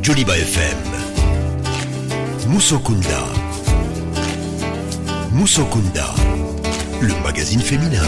Joliba FM. Musokunda. Musokunda, le magazine féminin.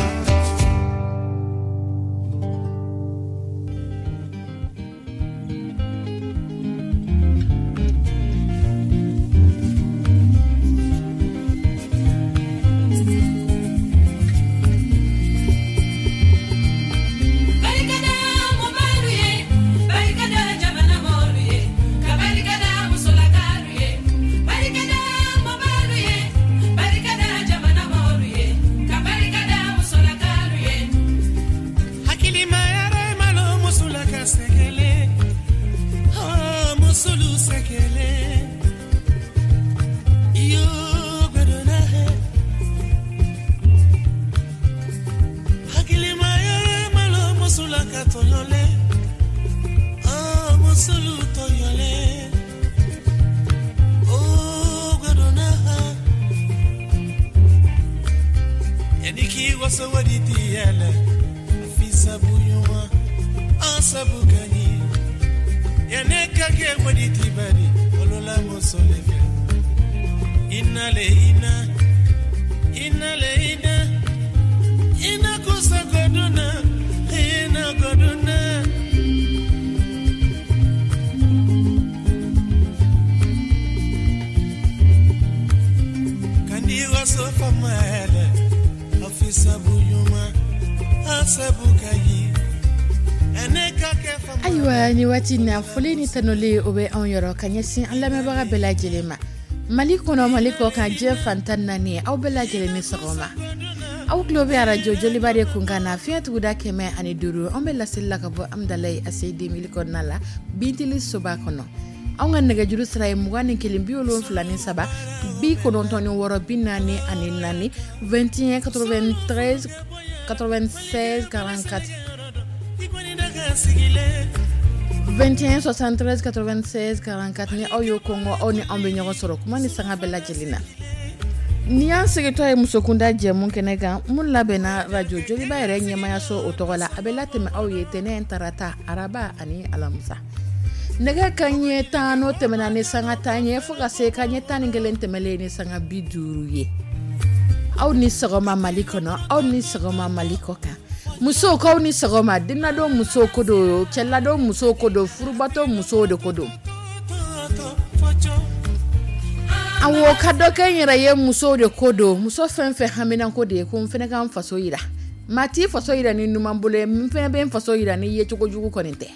Ayiwa, ni waati na, foli ni tanuli, o bɛ anw yɔrɔ ka ɲɛsin an lamɛnbaga bɛɛ lajɛlen ma, Mali kɔnɔ, Mali kɔ kan, diɲɛ fantan naani, aw bɛɛ lajɛlen ni sɔgɔma. Aw tulo bɛ arajo Joliba de kun kan na, fiɲɛ tuguda 105. An bɛ laseli la ka bɔ Amudalayi ACI 2000 kɔnɔna la, Bintili soba kɔnɔ. Anw ka nɛgɛjuru sira ye 21 73 96 44, 21 93 96 44, 21 73 96 44. Ni aw y'o kɔngɔ, aw ni anw bɛ ɲɔgɔn sɔrɔ kuma ni sanga bɛɛ lajɛlen na. Ni y'an segintɔ ye Musokunda jɛmu kɛnɛ kan, mun labɛnna radio Joliba yɛrɛ ɲɛmayaso o tɔgɔ la, a bɛ latɛmɛ aw ye tɛnɛn, tarata, araba ani alamisa, nɛgɛ ka ɲɛ 10 n'o tɛmɛna ni sanga 10 ye, fo ka se ka ɲɛ 11 tɛmɛlen ni sanga 50 ye. Aw ni sɔgɔma Mali kɔnɔ, aw ni sɔgɔma Mali kɔ kan. Musow, k'aw ni sɔgɔma. Denladon musow ko don, cɛladon musow ko don, furubatɔ musow de ko don. Awɔ, ka dɔ kɛ n yɛrɛ ye, musow de ko don. Muso fɛn fɛn haminanko de ye ko n fana ka n faso yira, maa t'i faso yira ni numan bolo ye, n fana bɛ n faso yira ni yecogo jugu kɔni tɛ.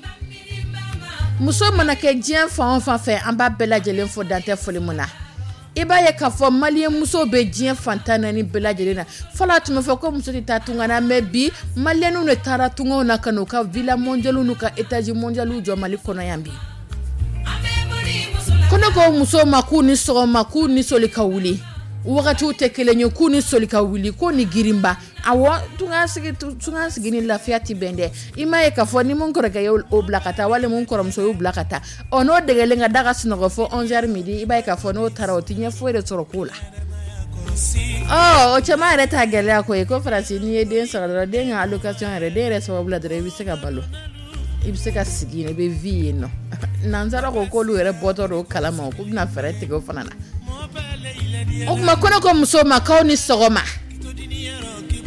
Muso mana kɛ diɲɛ fan o fan fɛ, an b'a bɛɛ lajɛlen fo, dantɛ foli mun na. I b'a ye k'a fɔ malien musow bɛ diɲɛ fantan naani bɛɛ lajɛlen na. Fɔlɔ, a tun bɛ fɔ ko muso tɛ taa tunga na, mais bi malienw de taara tungaw na ka n'u ka villa mondiale n'u ka étage mondial jɔ Mali kɔnɔ yan bi. Ko ne ko musow ma k'u ni sɔgɔma, k'u ni soli ka wuli, wagatiw tɛ kelen ye, k'u ni soli ka wuli, ko ni girinba. Awɔ, tunga sigi ni lafiya tɛ bɛn dɛ. I m'a ye k'a fɔ ni mun kɔrɔkɛ ye o bila ka taa, walima mun kɔrɔmuso y'o bila ka taa, ɔ n'o degelen ka da ka sunɔgɔ fo 11h midi, i b'a ye k'a fɔ n'o taara, o tɛ ɲɛ foyi de sɔrɔ ko la. Ɔ o caman yɛrɛ t'a gɛlɛya ko ye ko Faransi, n'i ye den sɔrɔ dɔrɔn, den ka allocation yɛrɛ, den yɛrɛ sababu la dɔrɔn, i bɛ se ka balo, i bɛ se ka sigi yen, i bɛ vie yen nɔ. Nansara ko k'olu yɛrɛ bɔtɔ don o kalama, k'u bɛna fɛɛrɛ tigɛ o fana na. O tuma, ko ne ko musow ma k'aw ni sɔgɔma.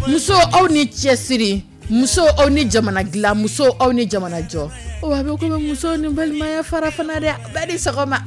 Muso, aw ni cɛsiri. Muso, aw ni jamana dilan. Muso, aw ni jamana jɔ. O a bɛ komi muso ni balimaya fara fana dɛ. Bɛɛ ni sɔgɔma.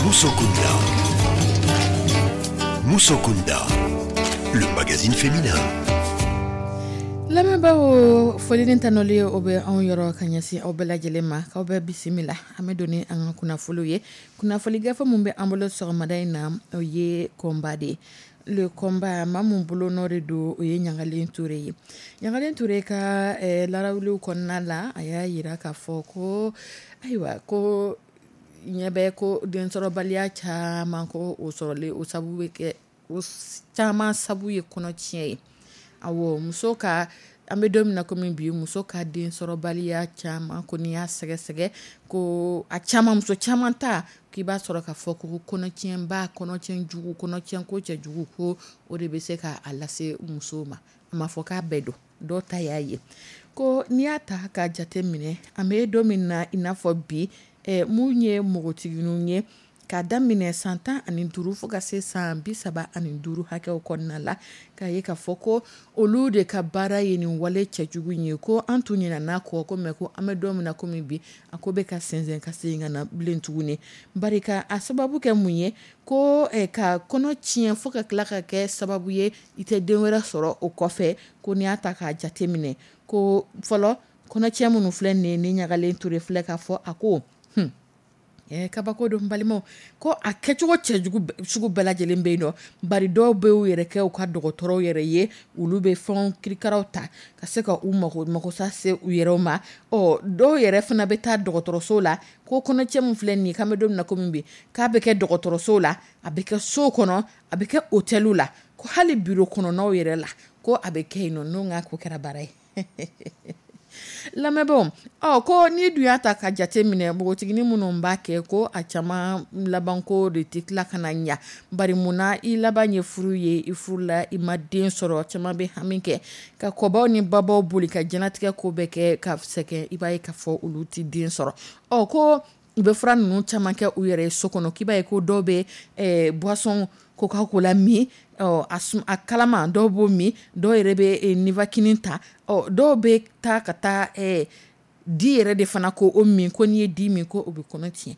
Musokunda. Musokunda, le magazine féminin. Lamɛnbaaw, foli ni tanuli, o bɛ anw yɔrɔ ka ɲɛsin aw bɛɛ lajɛlen ma, k'aw bɛɛ bisimila. An bɛ don ni an ka kunnafoliw ye. Kunnafoni gafe min bɛ an bolo sɔgɔmada in na, o ye combat de ye. Le combat, maa mun bolo nɔ de don, o ye Ɲagalen Ture ye. Ɲagalen Ture ka larawuliw kɔnɔna la, a y'a yira k'a fɔ ko ayiwa, ko ɲɛ bɛ ko densɔrɔbaliya caman, ko o sɔrɔlen, o sababu bɛ kɛ, o caman sabu ye kɔnɔtiɲɛ ye. Awɔ, muso ka, an bɛ don min na komi bi, muso ka densɔrɔbaliya caman ko n'i y'a sɛgɛsɛgɛ, ko a caman, muso caman ta, k'i b'a sɔrɔ k'a fɔ ko kɔnɔtiɲɛba, kɔnɔtiɲɛ jugu, kɔnɔtiɲɛ ko cɛjugu, ko o de bɛ se k'a lase musow ma. A ma fɔ k'a bɛɛ don, dɔw ta y'a ye. Ko n'i y'a ta k'a jate minɛ, an bɛ don min na i n'a fɔ bi, mun ye npogotigininw ye k'a daminɛ san 15 fo ka se san 35 hakɛw kɔnɔna la, k'a ye k'a fɔ ko olu de ka baara ye nin wale cɛjugu in ye. Ko an tun ɲinɛna kɔ ko, mɛ ko an bɛ don min na komi bi, a ko bɛ ka sɛnsɛn ka segin ka na bilen tuguni. Bari ka a sababu kɛ mun ye? Ko ka kɔnɔ tiɲɛ fo ka tila ka kɛ sababu ye i tɛ den wɛrɛ sɔrɔ o kɔfɛ. Ko n'i y'a ta k'a jate minɛ, ko fɔlɔ kɔnɔcɛ minnu filɛ nin ye, ni Ɲagalen Ture filɛ k'a fɔ, a ko kabako don balimaw, ko a kɛcogo cɛjugu sugu bɛɛ lajɛlen bɛ yen nɔ. Bari dɔw bɛ u yɛrɛ kɛ u ka dɔgɔtɔrɔw yɛrɛ ye, olu bɛ fɛnw kirikaraw ta ka se ka u mago magosa se u yɛrɛw ma. Ɔ, dɔw yɛrɛ fana bɛ taa dɔgɔtɔrɔso la, ko kɔnɔcɛ min filɛ nin ye, k'an bɛ don min na komi bi, k'a bɛ kɛ dɔgɔtɔrɔso la, a bɛ kɛ so kɔnɔ, a bɛ kɛ hôtel la, ko hali bureau kɔnɔnaw yɛrɛ la, ko a bɛ kɛ yen nɔ. N'o ka ko kɛra baara ye, lamɛnbaaw. Ɔ, ko n'i dun y'a ta ka jate minɛ, npogotiginin minnu b'a kɛ, ko a caman labanko de tɛ tila ka na ɲa. Bari munna? I laban ye furu ye, i furu la, i ma den sɔrɔ. Caman bɛ hami kɛ ka kɔbaw ni babaw boli ka jɛnatigɛ ko bɛɛ kɛ ka sɛgɛn, i b'a ye k'a fɔ olu tɛ den sɔrɔ. Ɔ, ko u bɛ fura ninnu caman kɛ u yɛrɛ ye so kɔnɔ, k'i b'a ye ko dɔw bɛ boisson Coca-Cola min, ɔ, a kalama, dɔw b'o min, dɔw yɛrɛ bɛ Nivaquine ta, ɔ, dɔw bɛ taa ka taa di yɛrɛ de fana ko o min, ko n'i ye di min, ko o bɛ kɔnɔ tiɲɛ.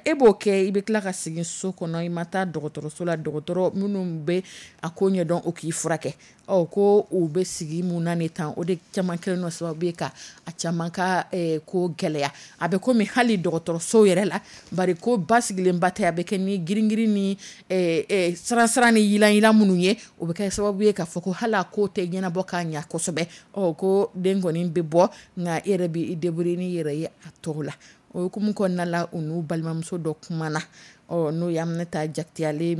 E b'o kɛ, i bɛ tila ka segin so kɔnɔ, i ma taa dɔgɔtɔrɔso la, dɔgɔtɔrɔ minnu bɛ a ko ɲɛdɔn, o k'i furakɛ. Ɔ, ko u bɛ sigi mun na ni tan, o de caman kɛlen nɔ sababu ye ka a caman ka ko gɛlɛya. A bɛ komi hali dɔgɔtɔrɔso yɛrɛ la, bari ko basigilenba tɛ, a bɛ kɛ ni girin-girin ni siran-siran ni yiran-yiran minnu ye, o bɛ kɛ sababu ye k'a fɔ ko hali a ko tɛ ɲɛnabɔ k'a ɲɛ kosɛbɛ. Ɔ, ko den kɔni bɛ bɔ, nka e yɛrɛ bɛ i débrouiller n'i yɛrɛ ye a tɔw la. O hukumu kɔnɔna la, u n'u balimamuso dɔ kumana, ɔ n'o ye Aminata Jakite, ale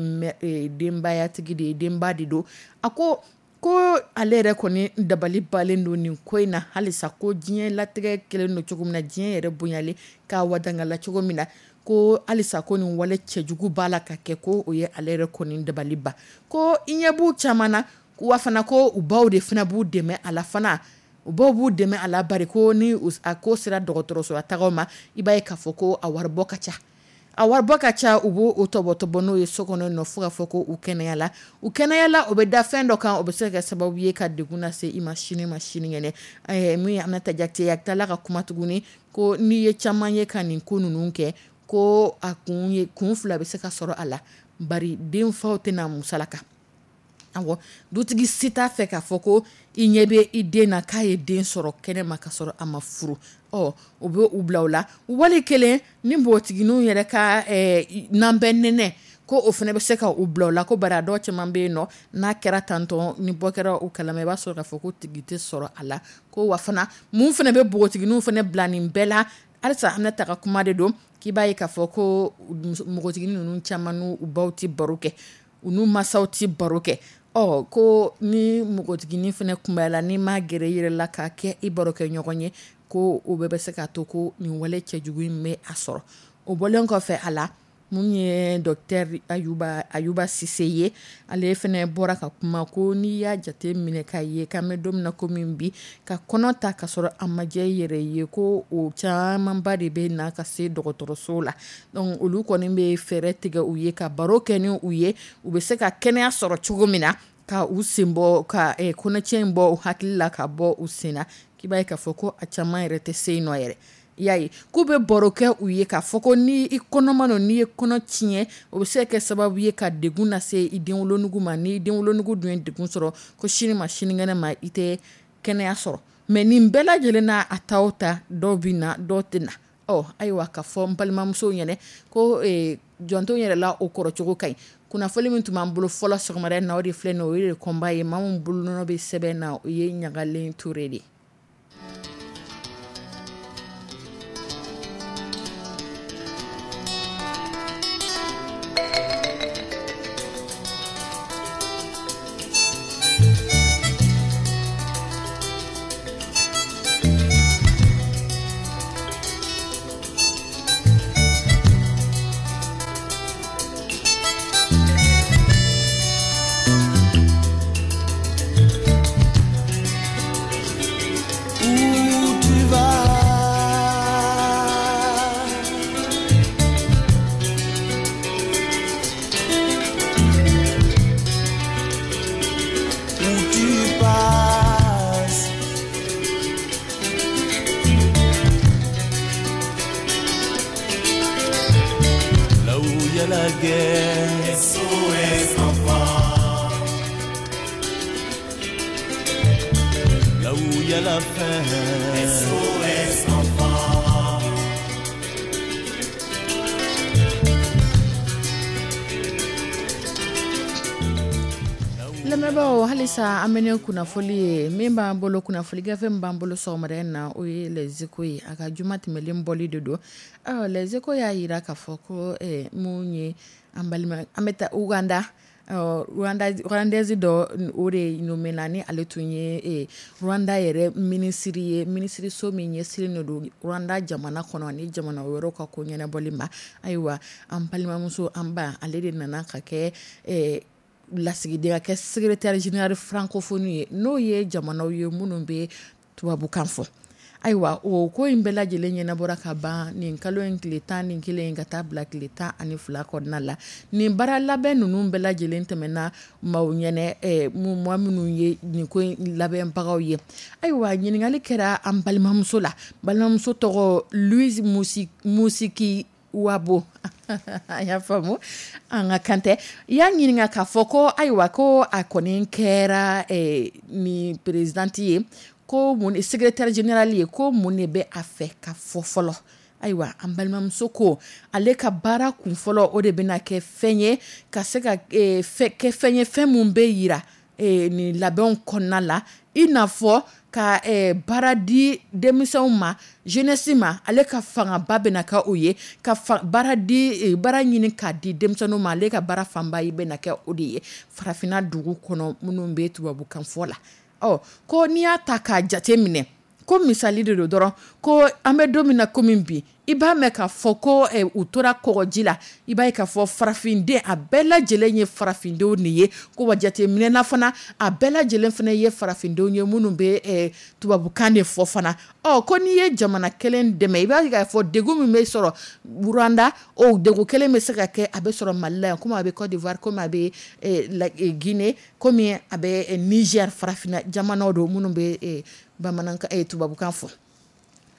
denbayatigi de ye, denba de don. A ko ko ale yɛrɛ kɔni dabali balen don nin ko in na halisa, ko diɲɛ latigɛ kɛlen don cogo min na, diɲɛ yɛrɛ bonyalen k'a wadangala cogo min na, ko halisa ko nin wale cɛjugu b'a la ka kɛ, ko o ye ale yɛrɛ kɔni dabali ban. Ko i ɲɛ b'u caman na, wa fana ko u baw de fana b'u dɛmɛ a la fana, u baw b'u dɛmɛ a la, bari ko ni a ko sera dɔgɔtɔrɔso tagaw ma, i b'a ye k'a fɔ ko a waribɔ ka ca. A waribɔ ka ca, u b'o o tɔbɔtɔbɔ n'o ye so kɔnɔ nɔ, fo ka fɔ ko u kɛnɛyala. U kɛnɛyala, o bɛ da fɛn dɔ kan, o bɛ se ka kɛ sababu ye ka degun lase i ma sini ma sinikɛnɛ. Min ye Aminata Jakite ye, a tilala ka kuma tuguni ko n'i ye caman ye ka nin ko ninnu kɛ, ko a kun ye kun fila bɛ se ka sɔrɔ a la, bari denfaw tɛna musalaka. Awɔ, dutigi si t'a fɛ k'a fɔ ko i ɲɛ bɛ i den na k'a ye den sɔrɔ kɛnɛ ma ka sɔrɔ a ma furu. Ɔ, o bɛ u bila o la. Wali kelen ni npogotigininw yɛrɛ ka n'an bɛ nɛnɛ, ko o fana bɛ se ka u bila o la, ko bari a dɔw caman bɛ yen nɔ, n'a kɛra tantɔn ni bɔ kɛra u kalama, i b'a sɔrɔ k'a fɔ ko tigi tɛ sɔrɔ a la. Ko wa fana mun fana bɛ npogotigininw fana bila nin bɛɛ la, halisa Aminata ka kuma de don, k'i b'a ye k'a fɔ ko npogotiginin ninnu caman n'u baw tɛ baro kɛ, u n'u masaw tɛ baro kɛ. Ɔ, ko ni npogotiginin fana kunbayala, n'i ma gɛrɛ i yɛrɛ la k'a kɛ i baro kɛ ɲɔgɔn ye, ko o bɛɛ bɛ se k'a to ko nin wale cɛjugu in bɛ a sɔrɔ. O bɔlen kɔfɛ a la, mun ye docteur Ayuba Sise ye, ale fana bɔra ka kuma ko n'i y'a jate minɛ k'a ye k'an bɛ don min na komi bi, ka kɔnɔ ta ka sɔrɔ a ma diya i yɛrɛ ye, ko o camanba de bɛ na ka se dɔgɔtɔrɔso la. Donc olu kɔni bɛ fɛɛrɛ tigɛ u ye ka baro kɛ ni u ye, u bɛ se ka kɛnɛya sɔrɔ cogo min na, ka u sen bɔ, ka kɔnɔcɛ in bɔ u hakili la, ka bɔ u sen na, k'i b'a ye k'a fɔ ko a caman yɛrɛ tɛ se yen nɔ yɛrɛ. I y'a ye k'u bɛ baro kɛ u ye k'a fɔ ko ni i kɔnɔma don, n'i ye kɔnɔ tiɲɛ, o bɛ se ka kɛ sababu ye ka degun lase i denwolonugu ma. Ni denwolonugu dun ye degun sɔrɔ, ko sini ma sinikɛnɛ ma i tɛ kɛnɛya sɔrɔ. Mais nin bɛɛ lajɛlen n'a a ta o ta, dɔw bɛ na, dɔw tɛ na. Ɔ, ayiwa, ka fɔ n balimamusow ɲɛnɛ ko jɔnto yɛrɛ la, o kɔrɔcogo ka ɲi. Kunnafoni min tun b'an bolo fɔlɔ sɔgɔmada in na, o de filɛ nin ye, o ye kɔnba ye. Maa min bolonɔ bɛ sɛbɛn na, o ye Ɲagalen Ture de ye. La guerre. SOS enfant. Là où il y a la faim. SOS enfant. Lamɛnbaaw, halisa an bɛ ne kunnafoli ye min b'an bolo, kunnafoli gafe min b'an bolo sɔgɔmada in na, o ye Les Échos ye. A ka juma tɛmɛlen bɔli de don. Ɔ, Les Échos y'a jira k'a fɔ ko mun ye an balima, an bɛ taa Uganda, Rwandaise dɔ, o de nommé na, ni ale tun ye Rwanda yɛrɛ minisiri ye, minisiriso min ɲɛsinnen don Rwanda jamana kɔnɔ ni jamana wɛrɛw ka ko ɲɛnabɔli ma. Ayiwa, an balimamuso, an ba, ale de nana ka kɛ lasigiden, ka kɛ secrétaire général francophonie ye, n'o ye jamanaw ye minnu bɛ tubabukan fɔ. Ayiwa, o ko in bɛɛ lajɛlen ɲɛnabɔra ka ban nin kalo in tile 11 ka taa bila tile 12 kɔnɔna la. Nin baara labɛn ninnu bɛɛ lajɛlen tɛmɛna maaw ɲɛnɛ, maa minnu ye nin ko in labɛnbagaw ye. Ayiwa, ɲininkali kɛra an balimamuso la. Balimamuso tɔgɔ Louise Musiki Wabo. A y'a faamu, an ka kan tɛ. I y'a ɲininka k'a fɔ ko ayiwa, ko a kɔni kɛra nin présidente ye, ko mun secrétaire général ye, ko mun de bɛ a fɛ ka fɔ fɔlɔ. Ayiwa, an balimamuso ko ale ka baara kun fɔlɔ, o de bɛna kɛ fɛn ye ka se ka kɛ fɛn ye, fɛn mun bɛ yira nin labɛnw kɔnɔna la, i n'a fɔ ka baara di denmisɛnw ma, jeunesse ma. Ale ka fangaba bɛna kɛ o ye, ka baara di, baara ɲini k'a di denmisɛnninw ma. Ale ka baara fanba bɛna kɛ o de ye farafinna dugu kɔnɔ minnu bɛ tubabukan fɔ la. Ɔ ko n'i y'a ta k'a jate minɛ, ko misali de don dɔrɔn, ko an bɛ don min na komi bi, i b'a mɛn k'a fɔ ko u tora kɔgɔji la, i b'a ye k'a fɔ farafinden a bɛɛ lajɛlen ye farafindenw de ye. Ko wa jateminɛna fana, a bɛɛ lajɛlen fana ye farafindenw ye minnu bɛ tubabukan de fɔ fana. Ɔ ko n'i ye jamana kelen dɛmɛ, i b'a ye k'a fɔ degun min bɛ sɔrɔ Rwanda, o degun kelen bɛ se ka kɛ, a bɛ sɔrɔ Mali la yan, komi a bɛ Côte d'Ivoire, komi a bɛ Guinée, komi a bɛ Niger, farafinna jamanaw don minnu bɛ bamanankan tubabukan fɔ.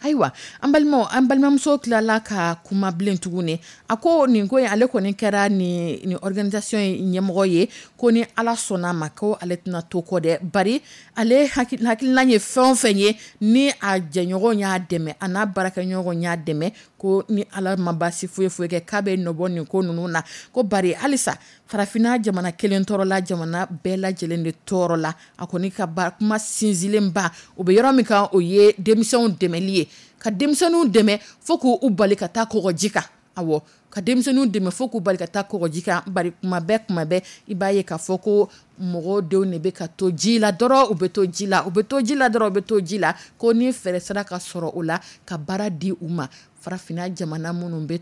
Ayiwa, an balimaw, an balimamuso tilala ka kuma bilen tuguni. A ko nin ko in, ale kɔni kɛra nin organisation in ɲɛmɔgɔ ye, ko ni Ala sɔnna a ma, ko ale tɛna to kɔ dɛ, bari ale hakilina ye fɛn o fɛn ye, ni a jɛɲɔgɔn y'a dɛmɛ, a n'a baarakɛɲɔgɔn y'a dɛmɛ, ko ni Ala ma baasi foyi foyi kɛ, k'a bɛ nɔbɔ nin ko ninnu na. Ko bari halisa farafinna jamana kelen tɔɔrɔ la, jamana bɛɛ lajɛlen de tɔɔrɔ la. A kɔni ka kuma sinsinlenba o bɛ yɔrɔ min kan, o ye denmisɛnw dɛmɛli ye, ka denmisɛnninw dɛmɛ fo k'u bali ka taa kɔgɔji kan. Awɔ, ka denmisɛnninw dɛmɛ fo k'u bali ka taa kɔgɔji kan, bari kuma bɛɛ i b'a ye k'a fɔ ko mɔgɔw denw de bɛ ka to ji la dɔrɔn, u bɛ to ji la, u bɛ to ji la dɔrɔn, u bɛ to ji la. Ko ni fɛɛrɛ sera ka sɔrɔ o la, ka baara di u ma, farafinna jamana minnu bɛ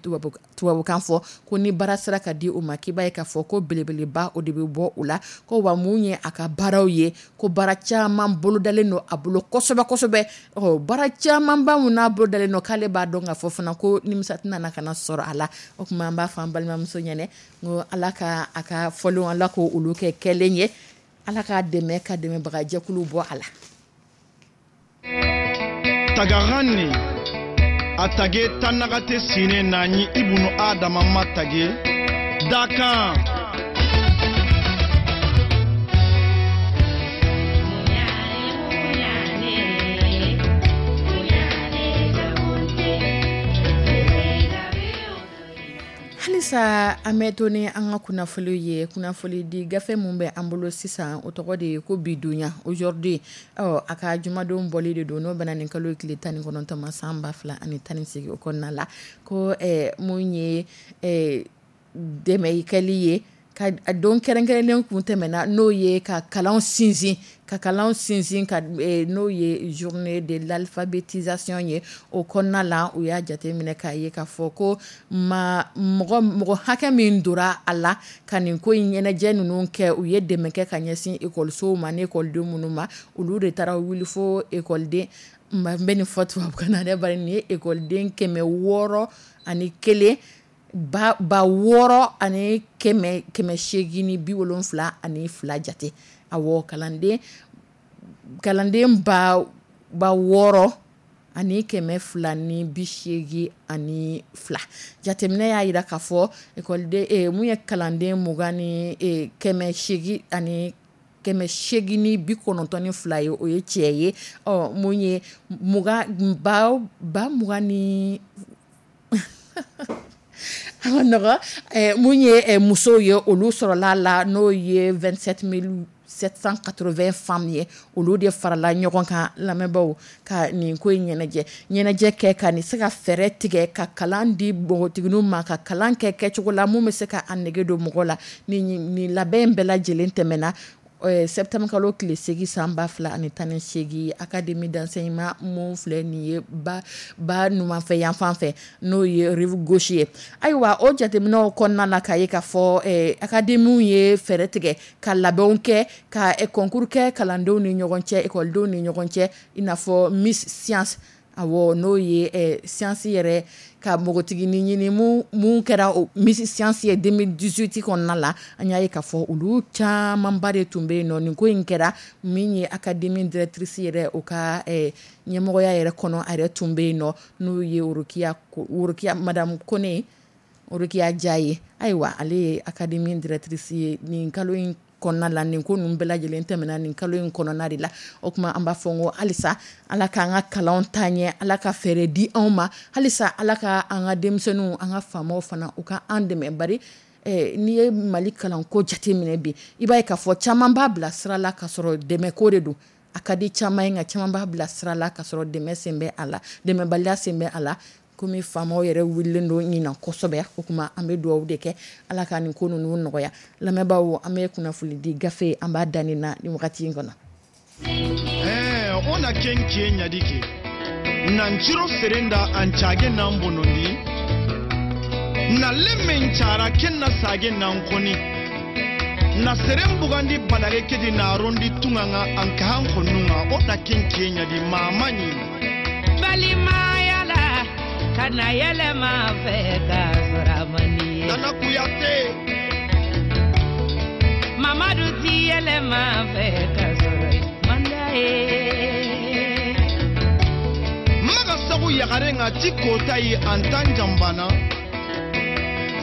tubabukan fɔ, ko ni baara sera ka di u ma, k'i b'a ye k'a fɔ ko belebeleba o de bɛ bɔ o la. Ko wa mun ye a ka baaraw ye, ko baara caman bolodalen don a bolo kosɛbɛ kosɛbɛ. Ɔ baara camanba mun n'a bolodalen don, k'ale b'a dɔn k'a fɔ fana ko nimisa tɛna na ka na sɔrɔ a la. O tuma an b'a fɔ an balimamuso ɲɛnɛ, n ko Ala ka a ka fɔlenw, Ala ko olu kɛ kɛlen ye, Ala k'a dɛmɛ ka dɛmɛbagajɛkulu bɔ a la. Tagarani a tage tanagate sine nañi ibunu adama ma tage dakan. Halisa an bɛ to ni an ka kunnafoniw ye, kunnafoni di gafe min bɛ an bolo sisan, o tɔgɔ de ye ko bi donya, aujourd'hui. Ɔ a ka jumadon bɔli de don, n'o bɛna nin kalo tile 19 ma san 2018 o kɔnɔna la. Ko mun ye dɛmɛ kɛli ye, ka don kɛrɛnkɛrɛnnen kun tɛmɛna, n'o ye ka kalan sinsin, ka n'o ye journée de l'alphabétisation ye. O kɔnɔna la, u y'a jateminɛ k'a ye k'a fɔ ko ma mɔgɔ hakɛ min dora a la ka nin ko in ɲɛnajɛ ninnu kɛ, u ye dɛmɛ kɛ ka ɲɛsin ekɔlisow ma ni ekɔliden minnu ma, olu de taara wuli fo ekɔliden, n bɛ nin fɔ tubabukan na dɛ, bari nin ye ekɔliden 601 6,872 jate. Awɔ, kalanden 6,282. Jateminɛ y'a jira k'a fɔ ekɔliden mun ye kalanden mugan ni kɛmɛ seegin ani kɛmɛ seegin ni bi kɔnɔntɔn ni fila ye, o ye cɛ ye. Ɔ mun ye mugan ba mugan ni nɔgɔ mun ye musow ye, olu sɔrɔla la, n'o ye 27 780 femmes ye, olu de farala ɲɔgɔn kan lamɛnbaaw ka nin ko in ɲɛnajɛ kɛ, ka nin se ka fɛɛrɛ tigɛ ka kalan di npogotigininw ma, ka kalan kɛ kɛcogo la mun bɛ se ka a nege don mɔgɔ la. Nin labɛn bɛɛ lajɛlen tɛmɛna septembre kalo tile 8 san 2018, académie d'enseignement mun filɛ nin ye ba numanfɛ yan fan fɛ, n'o ye rive gauche ye. Ayiwa, o jateminɛw kɔnɔna la, k'a ye k'a fɔ académie ye fɛɛrɛ tigɛ ka labɛnw kɛ, ka concours kɛ kalandenw ni ɲɔgɔn cɛ, ekɔlidenw ni ɲɔgɔn cɛ, i n'a fɔ Miss Science. Awɔ, n'o ye science yɛrɛ ka npogotiginin ɲini mun kɛra o Miss Science ye 2018 kɔnɔna la. An y'a ye k'a fɔ olu camanba de tun bɛ yen nɔ. Nin ko in kɛra min ye académie directrice yɛrɛ, o ka ɲɛmɔgɔya yɛrɛ kɔnɔ, a yɛrɛ tun bɛ yen nɔ, n'o ye Worokiya madame Kone, Worokiya Dia ye. Ayiwa, ale ye académie directrice ye nin kalo in kɔnɔna la. Nin ko ninnu bɛɛ lajɛlen tɛmɛna nin kalo in kɔnɔna de la. O tuma an b'a fɔ n ko halisa Ala k'an ka kalanw taa ɲɛ, Ala ka fɛɛrɛ di anw ma, halisa Ala ka an ka denmisɛnninw, an ka faamaw fana, u ka an dɛmɛ, bari N'i ye Mali kalanko jateminɛ bi, i b'a ye k'a fɔ caman b'a bila sira la k'a sɔrɔ dɛmɛko de don. A ka di caman ye, nka caman b'a bila sira la k'a sɔrɔ dɛmɛ sen bɛ a la, dɛmɛbaliya sen bɛ a la. Komi faamaw yɛrɛ wulilen don ɲinan kosɛbɛ, o tuma an bɛ dugawu de kɛ Ala ka nin ko ninnu nɔgɔya. Lamɛnbaaw, an bɛ kunnafoni di gafe an b'a da nin na nin wagati in kɔnɔ. Ɛɛ, o na ken kie ɲadi ke nanciro serenda an cage nan bonondi na lemen cara ken na sage nan koni na seren bugandi badage kedi na rondi tunganga an kahan konunga o na ken kie ɲadi mama ɲi. Balimaya la, kana yɛlɛma fɛ ka sɔrɔ a man di ye. Nana Kuyate. Mamadu ti yɛlɛma fɛ ka sɔrɔ i man d'a ye. Maga sagu yagare nga ti kota yi an tan jambana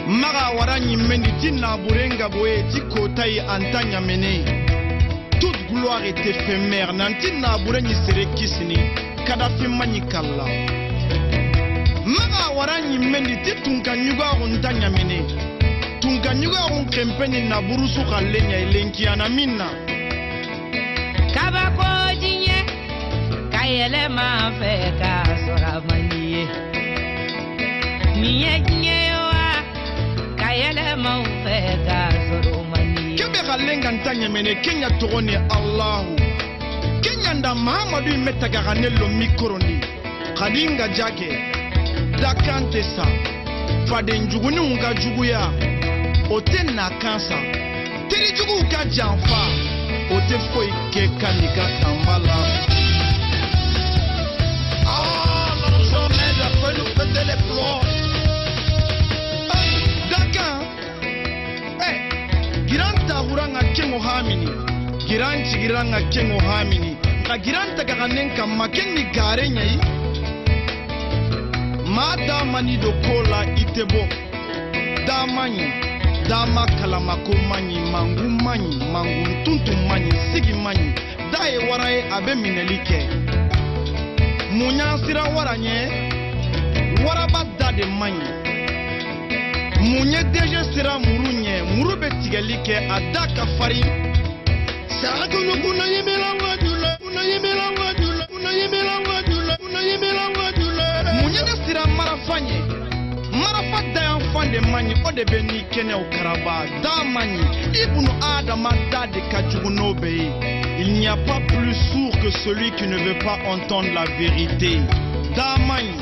maga wara ɲimendi ti nabure ngaboye ti kota yi an tan ɲamene. Toute gloire est éphémère, nanti nabure ɲi sere kisini Kadafi maɲi kala. Maga wara ɲimendi ti tunka ɲugaxun ta ɲamene tunka ɲugaxun kɛnpɛ ni naburusu ka le ɲa lenkiyana min na. Kabako diɲɛ ka yɛlɛma fɛ ka sɔrɔ a man di ye. Nin ye diɲɛ ye wa, ka yɛlɛma u fɛ ka sɔrɔ o man di ye. Kebe ka lenga nta ɲamene kenya tɔgɔ ni Alahu kenyanda Mahamadu in bɛ taga ka ne lo mikorondi kadi nga jake dakan tɛ sa faden juguninw ka juguya o tɛ na kan sa terijuguw ka janfa o tɛ foyi kɛ ka n'i ka tanba la. Ah, l'argent m'aide à faire nous péter les plombs. Dakan ɛ giran tagura ŋa keŋo hamini giran cigira ŋa keŋo hamini nka giran tagaga nen kanma ken ni gare ɲayi maa da mani do ko la i tɛ bɔ da man ɲi dama kalamako man ɲi mangun man ɲi mangun tuntun man ɲi sigi man ɲi da ye wara ye a bɛ minɛli kɛ mun y'an sira wara ɲɛ waraba da de man ɲi mun ye DG sera muru ɲɛ muru bɛ tigɛli kɛ a da ka farin. Sakunu yimila wajula, kuna yimila wajula, kuna yimila wajula, kuna yimila wajula. Mun ye ne sira marafa ɲɛ marafa dayanfan de man ɲi o de bɛ ni kɛnɛw karaba da man ɲi ibunu adama da de ka jugu n'o bɛɛ ye. Il n'y a pas plus sourd que celui qui ne veut pas entendre la vérité. Da man ɲi.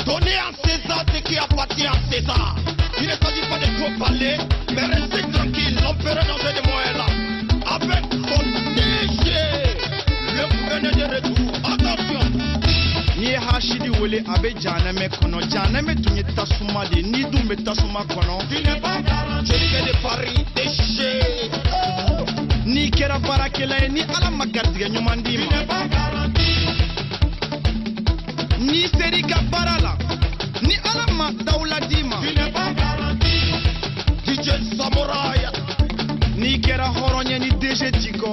Donnez à César ce qui appartient à César. Il ne s'agit pas de trop parler, mais restez tranquille, l'empereur danger de moi est là. Avec son DG, le gouverneur de retour. Attention! N'i ye hasidi wele a bɛ janɛmɛ kɔnɔ janɛmɛ tun ye tasuma de ye n'i dun bɛ tasuma kɔnɔ. Tu n'es pas garanti. Jolivet de Paris, déchiré. N'i kɛra baarakɛla ye ni Ala ma garijɛgɛ ɲuman d'i Tu ma n'es pas garanti. N'i ser'i ka baara la ni Ala ma dawula d'i ma. Tu n'es pas garanti. DJ Samouraï. N'i kɛra hɔrɔn ye ni DG t'i kɔ.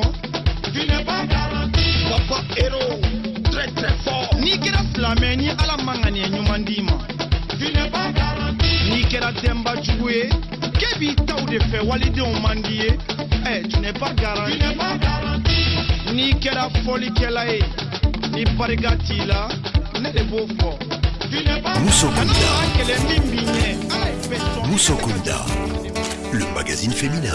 Tu n'es pas garanti. Papa Héros, très très fort. N'i kɛra silamɛ ni Ala ma ŋaniya ɲuman d'i ma. Tu n'es pas garanti. N'i kɛra denba jugu ye k'e b'i taw de fɛ walidenw man di ye ɛ tu n'es pas Tu garanti. N'es pas garanti. N'i kɛra fɔlikɛla ye ni barika t'i la ne de b'o fɔ. Tu n'es pas Mousso Kana Kunda. maa kɛlɛ min b'i ɲɛ Ala ye bɛɛ sɔn. Mousso Kunda. Le magazine féminin.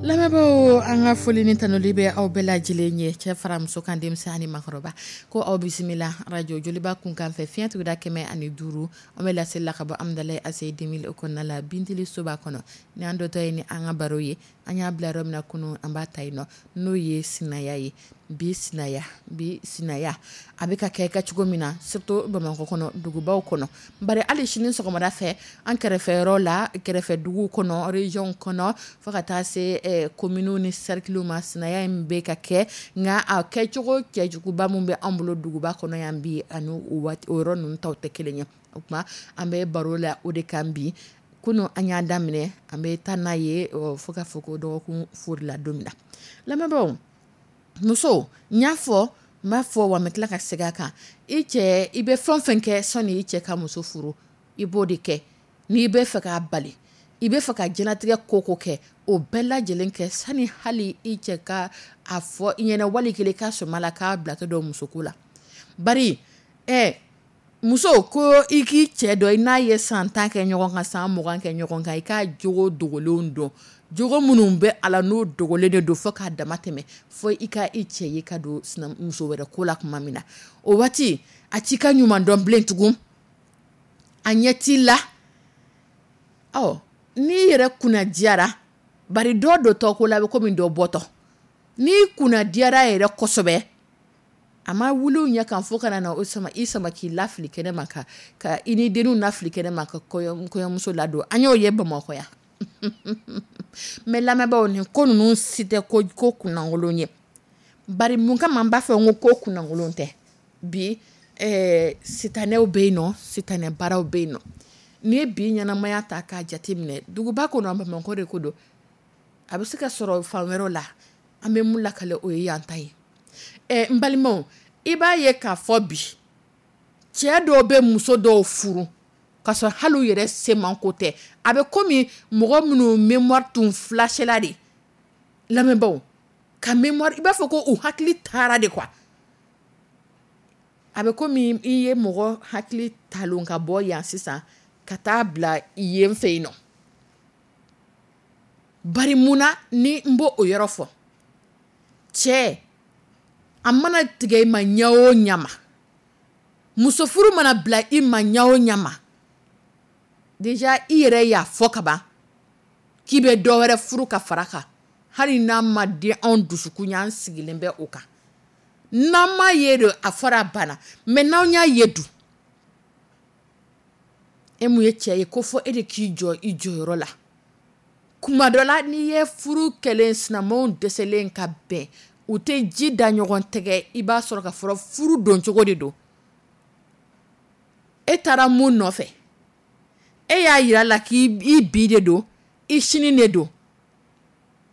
Lamɛnbaaw, an ka foli ni tanuli bɛ aw bɛɛ lajɛlen ye, cɛ fara muso kan, denmisɛn ani makɔrɔba, ko aw bisimila radio Joliba kunkan fɛ fiɲɛ tuguda 105. An bɛ laseli la ka bɔ Amudalayi ACI 2000 o kɔnɔna la, Bintili soba kɔnɔ. Ni an dɔtɔ ye ni an ka baro ye, an y'a bila yɔrɔ min na kunun, an b'a ta yen nɔ, n'o ye sinaya ye. Bi sinaya, bi sinaya a bɛ ka kɛ ka cogo min na, surtout Bamakɔ kɔnɔ, dugubaw kɔnɔ, bari hali sini sɔgɔmada fɛ an kɛrɛfɛ yɔrɔ la, kɛrɛfɛ duguw kɔnɔ, région kɔnɔ, fo ka taa se communes ni cercles ma, sinaya in bɛ ka kɛ. Nka a kɛcogo cɛjuguba min bɛ an bolo duguba kɔnɔ yan bi, ani o waati o yɔrɔ ninnu taw tɛ kelen ye. O tuma an bɛ baro la o de kan bi. Kunun an y'a daminɛ, an bɛ taa n'a ye fo ka fɔ ko dɔgɔkun fori la don min na. Lamɛnbaaw, muso n y'a fɔ N b'a fɔ wa n bɛ tila ka segin a kan. I cɛ, i bɛ fɛn o fɛn kɛ sɔnni i cɛ ka muso furu, i b'o de kɛ. N'i bɛ fɛ k'a bali, i bɛ fɛ ka diɲɛlatigɛ ko o ko kɛ, o bɛɛ lajɛlen kɛ sani hali i cɛ ka a fɔ i ɲɛna wali kelen ka sɔmi a la k'a bilatɔ don musoko la. Bari muso ko i k'i cɛ dɔn, i n'a ye san 10 kɛ ɲɔgɔn kan, san 20 kɛ ɲɔgɔn kan, i k'a jogo dogolenw dɔn, jogo minnu bɛ a la n'o dogolen de don fo k'a dama tɛmɛ, fo i ka i cɛ ye ka don muso wɛrɛ ko la tuma min na, o waati a t'i ka ɲuman dɔn bilen tugun, a ɲɛ t'i la. Ɔ n'i yɛrɛ kunna diyara, bari dɔ dontɔ ko la bɛ komi dɔ bɔtɔ, n'i kunna diyara yɛrɛ kosɛbɛ, a ma wuli ɲɛ kan fo kana na o sama i sama k'i lafili kɛnɛ ma ka i ni denninw lafili kɛnɛ ma ka kɔɲɔmuso ladon. An y'o ye Bamakɔ yan. Mais lamɛnbaaw, nin ko ninnu si tɛ ko kunnankolon ye. Bari mun kama n b'a fɔ n ko kunnankolon tɛ? Bi sitanɛw bɛ yen nɔ, sitanɛ baaraw bɛ yen nɔ. N'i ye bi ɲɛnamaya ta k'a jate minɛ, duguba kɔnɔ, Bamakɔ de ko don, a bɛ se ka sɔrɔ fan wɛrɛw la, an bɛ mun lakale o ye yan ta ye. N balimaw, i b'a ye k'a fɔ bi cɛ dɔw bɛ muso dɔw furu k'a sɔrɔ hali u yɛrɛ semanko tɛ. A bɛ komi mɔgɔ minnu mémoire tun flashela de. Lamɛnbaaw, ka mémoire, i b'a fɔ ko u hakili taara de quoi. A bɛ komi i ye mɔgɔ hakili talon ka bɔ yan sisan ka taa bila yen fɛ yen nɔ. Bari mun na ni n b'o o yɔrɔ fɔ? Cɛ, a mana tigɛ i ma ɲɛ o ɲɛ ma, muso furu mana bila i ma ɲɛ o ɲɛ ma, déjà i yɛrɛ y'a fɔ ka ban k'i bɛ dɔ wɛrɛ furu ka fara kan, hali n'a ma di anw dusukun ye, an sigilen bɛ o kan. N'an m'a ye de, a fɔra a banna, mais n'anw y'a ye dun, e mun ye cɛ ye ko fɔ e de k'i jɔ i jɔyɔrɔ la. Kuma dɔ la, n'i ye furu kɛlen sinamaw dɛsɛlen ka bɛn, u tɛ ji da ɲɔgɔn tɛgɛ, i b'a sɔrɔ ka fɔlɔ furu don cogo de don. E taara mun nɔfɛ? E y'a yira la k'i bi de don, i sini de don,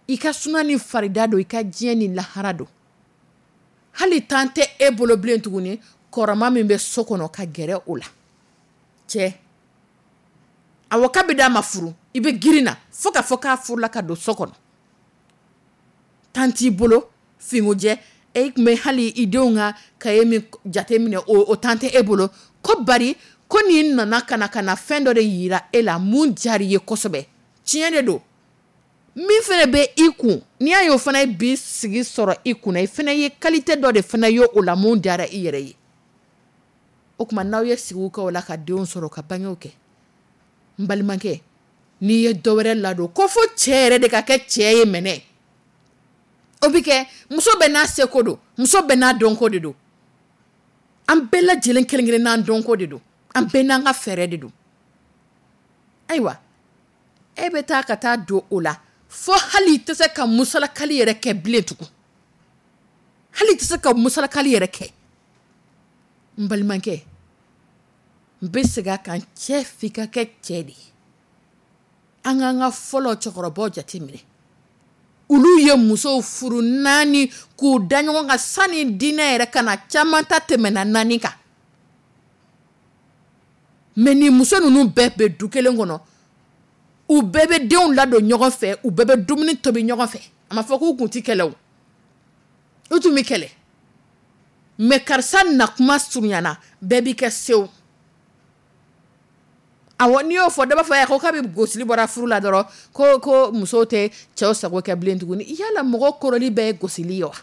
i ka suna ni farida don, i ka diɲɛ ni lahara don. Hali tan tɛ e bolo bilen tuguni, kɔrɔma min bɛ so kɔnɔ ka gɛrɛ o la. Cɛ, awɔ, k'a bɛ d'a ma furu, i bɛ girin na fo ka fɔ k'a furula ka don so kɔnɔ. Tan t'i bolo, finko jɛ, e tun bɛ hali i denw ka cahier min jate minɛ, o tan tɛ e bolo. Ko bari ko nin nana ka na fɛn dɔ de yira e la mun diyara i ye kosɛbɛ. Tiɲɛ de don. Min fana bɛ i kun, n'i y'a ye o fana ye bi sigi sɔrɔ i kunna, i fana ye qualité dɔ de fana ye o la mun diyara i yɛrɛ ye. O tuma n'aw ye sigiw kɛ o la ka denw sɔrɔ ka bangew kɛ, n balimakɛ, n'i ye dɔ wɛrɛ ladon ko fo cɛ yɛrɛ de ka kɛ cɛ ye mɛnɛ. O bɛ kɛ, muso bɛɛ n'a seko don, muso bɛɛ n'a dɔnko de don. An bɛɛ lajɛlen kelen kelen n'an dɔnko de don, an bɛɛ n'an ka fɛɛrɛ de don. Ayiwa, e bɛ taa ka taa don o la fo hali i tɛ se ka musalakali yɛrɛ kɛ bilen tugun. Hali i tɛ se ka musalakali yɛrɛ kɛ. N balimakɛ, n bɛ segin a kan, cɛ f'i ka kɛ cɛ de ye. An k'an ka fɔlɔ cɛkɔrɔbaw jateminɛ. Olu ye musow furu 4 k'u da ɲɔgɔn kan sani diinɛ yɛrɛ ka na, caman ta tɛmɛna 4 kan. Mais nin muso ninnu bɛɛ bɛ du kelen kɔnɔ, u bɛɛ bɛ denw ladon ɲɔgɔn fɛ, u bɛɛ bɛ dumuni tobi ɲɔgɔn fɛ. A ma fɔ k'u kun ti kɛlɛ o, u tun bɛ kɛlɛ. Mais karisa na kuma surunyana, bɛɛ b'i kɛ sew. Awɔ, n'i y'o fɔ dɔ b'a fɔ ko kabi gosili bɔra furu la dɔrɔn, ko musow tɛ cɛw sago kɛ bilen tuguni. Yala mɔgɔ kɔrɔli bɛɛ ye gosili ye wa?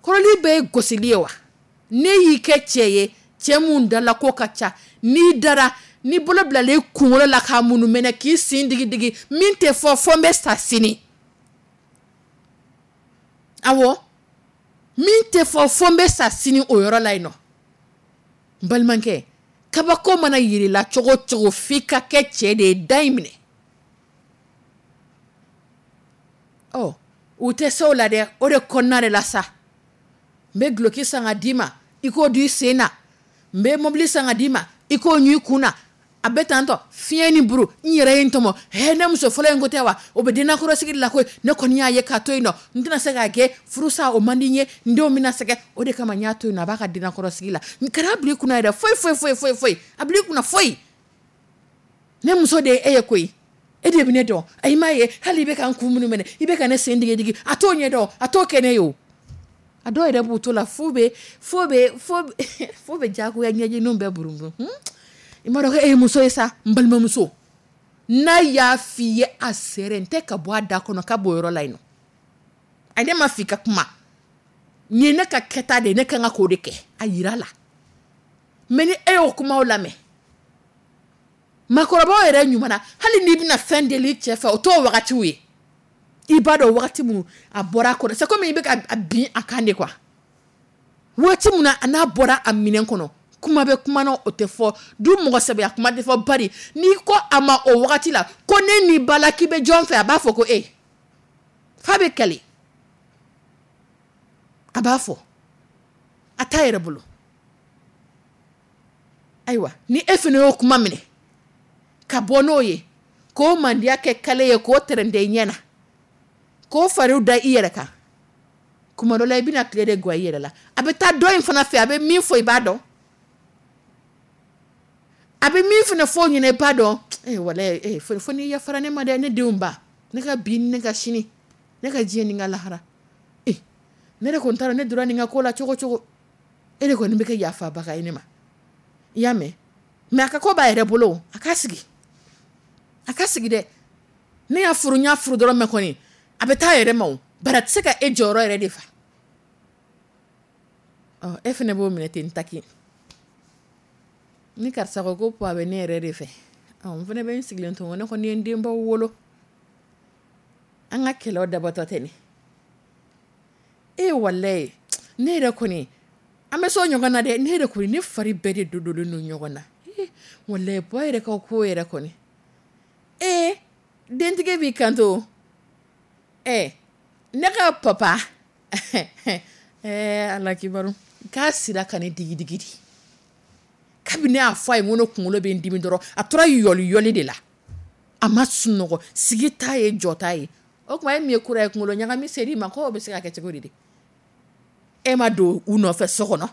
Kɔrɔli bɛɛ ye gosili ye wa? Ne y'i kɛ cɛ ye, cɛ mun dala ko ka ca, n'i dara, n'i bolo bilalen i kunkolo la k'a munu mɛnɛ k'i sen digi digi, min tɛ fɔ fo n bɛ sa sini. Awɔ, min tɛ fɔ fo n bɛ sa sini o yɔrɔ la yen nɔ. N balimakɛ, kabako mana yir'i la cogo o cogo, f'i ka kɛ cɛ de ye, da in minɛ. Ɔ, u tɛ se o la dɛ, o de kɔnɔna de la sa. N bɛ duloki san ka d'i ma, i k'o don i sen na. N bɛ mobili san ka d'i ma, i k'o ɲun i kun na. A bɛ tantɔ fiɲɛ ni buru, n yɛrɛ ye n tɔmɔ. He, ne muso fɔlɔ in ko tɛ wa? O bɛ dennakɔrɔsigi la koyi. Ne kɔni y'a ye k'a to yen nɔ, n tɛna se k'a kɛ furusa, o man di n ye, n denw bɛna sɛgɛn, o de kama n y'a to yen nɔ. A b'a ka dennakɔrɔsigi la. N kana bila i kunna yɛrɛ, foyi foyi foyi foyi foyi, a bila i kunna foyi. Ne muso de ye e ye koyi, e de bɛ ne dɔn. A m'a ye hali i bɛ ka n kun minnu minɛ, i bɛ ka ne sen digi digi, a t'o ɲɛ dɔn, a t'o kɛ ne ye o. A dɔw yɛrɛ b'u to la f'u bɛ f'u bɛ f'u bɛ diyagoya ɲɛjiniw bɛɛ buruburu. I m'a dɔn ko e ye muso ye sa, n balimamuso. N'a y'a f'i ye a sɛrɛn tɛ ka bɔ a da kɔnɔ ka bɔ yɔrɔ la yen nɔ. A ne ma f'i ka kuma. Nin ye ne ka kɛta de ye, ne ka kan k'o de kɛ. A yira la. Mais ni e y'o kumaw lamɛn, maakɔrɔbaw yɛrɛ ɲuman na, hali n'i bɛna fɛn deli cɛ fɛ, o t'o wagatiw ye. I b'a dɔn wagati min a bɔra a kɔnɔ, c'est comme i bɛ ka bin a kan de quoi. Waati min na a n'a bɔra a minɛn kɔnɔ, kuma bɛ kuma na o tɛ fɔ, du mɔgɔ sɛbɛya kuma tɛ fɔ, bari n'i ko a ma o wagati la ko ne n'i ba la k'i bɛ jɔn fɛ, a b'a fɔ ko e. F'a bɛ kɛlɛ. A b'a fɔ. A t'a yɛrɛ bolo. Ayiwa, ni e fana y'o kuma minɛ ka bɔ n'o ye, k'o mandiya kɛ kale ye, k'o tɛrɛntɛ i ɲɛ na, k'o fariw da i yɛrɛ kan, kuma dɔ la i bɛna tile de gwa i yɛrɛ la. A bɛ taa dɔ in fana fɛ, a bɛ min fɔ i b'a dɔn, a bɛ min fana fɔ o ɲɛna i b'a dɔn. Walayi, fo n'i yafara ne ma dɛ, ne denw ba, ne ka bi ni ne ka sini, ne ka diɲɛ ni n ka lahara. Ne de kɔni taara, ne donna nin ka ko la cogo cogo, e de kɔni bɛ kɛ yafabaga ye ne ma. I y'a mɛn? Mais a ka ko b'a yɛrɛ bolo, a ka sigi, a ka sigi dɛ. Ne y'a furu, n y'a furu dɔrɔn, mɛ kɔni a bɛ taa yɛrɛ ma o, bari a tɛ se ka e jɔyɔrɔ yɛrɛ de fa. Ɔ, e fana b'o minɛ ten taki. Ni karisa ko ko a bɛ ne yɛrɛ de fɛ, ɔ, n fana bɛ n sigilen to, ne kɔni ye n denbaw wolo. An ka kɛlɛw dabɔtɔ tɛ nin. E walayi, ne yɛrɛ kɔni, an bɛ so ɲɔgɔn na dɛ, ne yɛrɛ kɔni, ne fari bɛɛ de dodolen don ɲɔgɔn na. Walayi, bɔ yɛrɛ ka ko yɛrɛ kɔni. Dentigi b'i kanto. Ne ka papa. Ala kibaru. K'a sira ka ne digi digi di. Kabini ne y'a fɔ a ye n ko ne kunkolo bɛ n dimi dɔrɔn, a tora yɔli yɔli de la. A ma sunɔgɔ, sigi t'a ye, jɔ t'a ye. O tuma e min ye kura ye, kunkolo ɲagami ser'i ma, k'o bɛ se ka kɛ cogo di de? E ma don u nɔfɛ so kɔnɔ.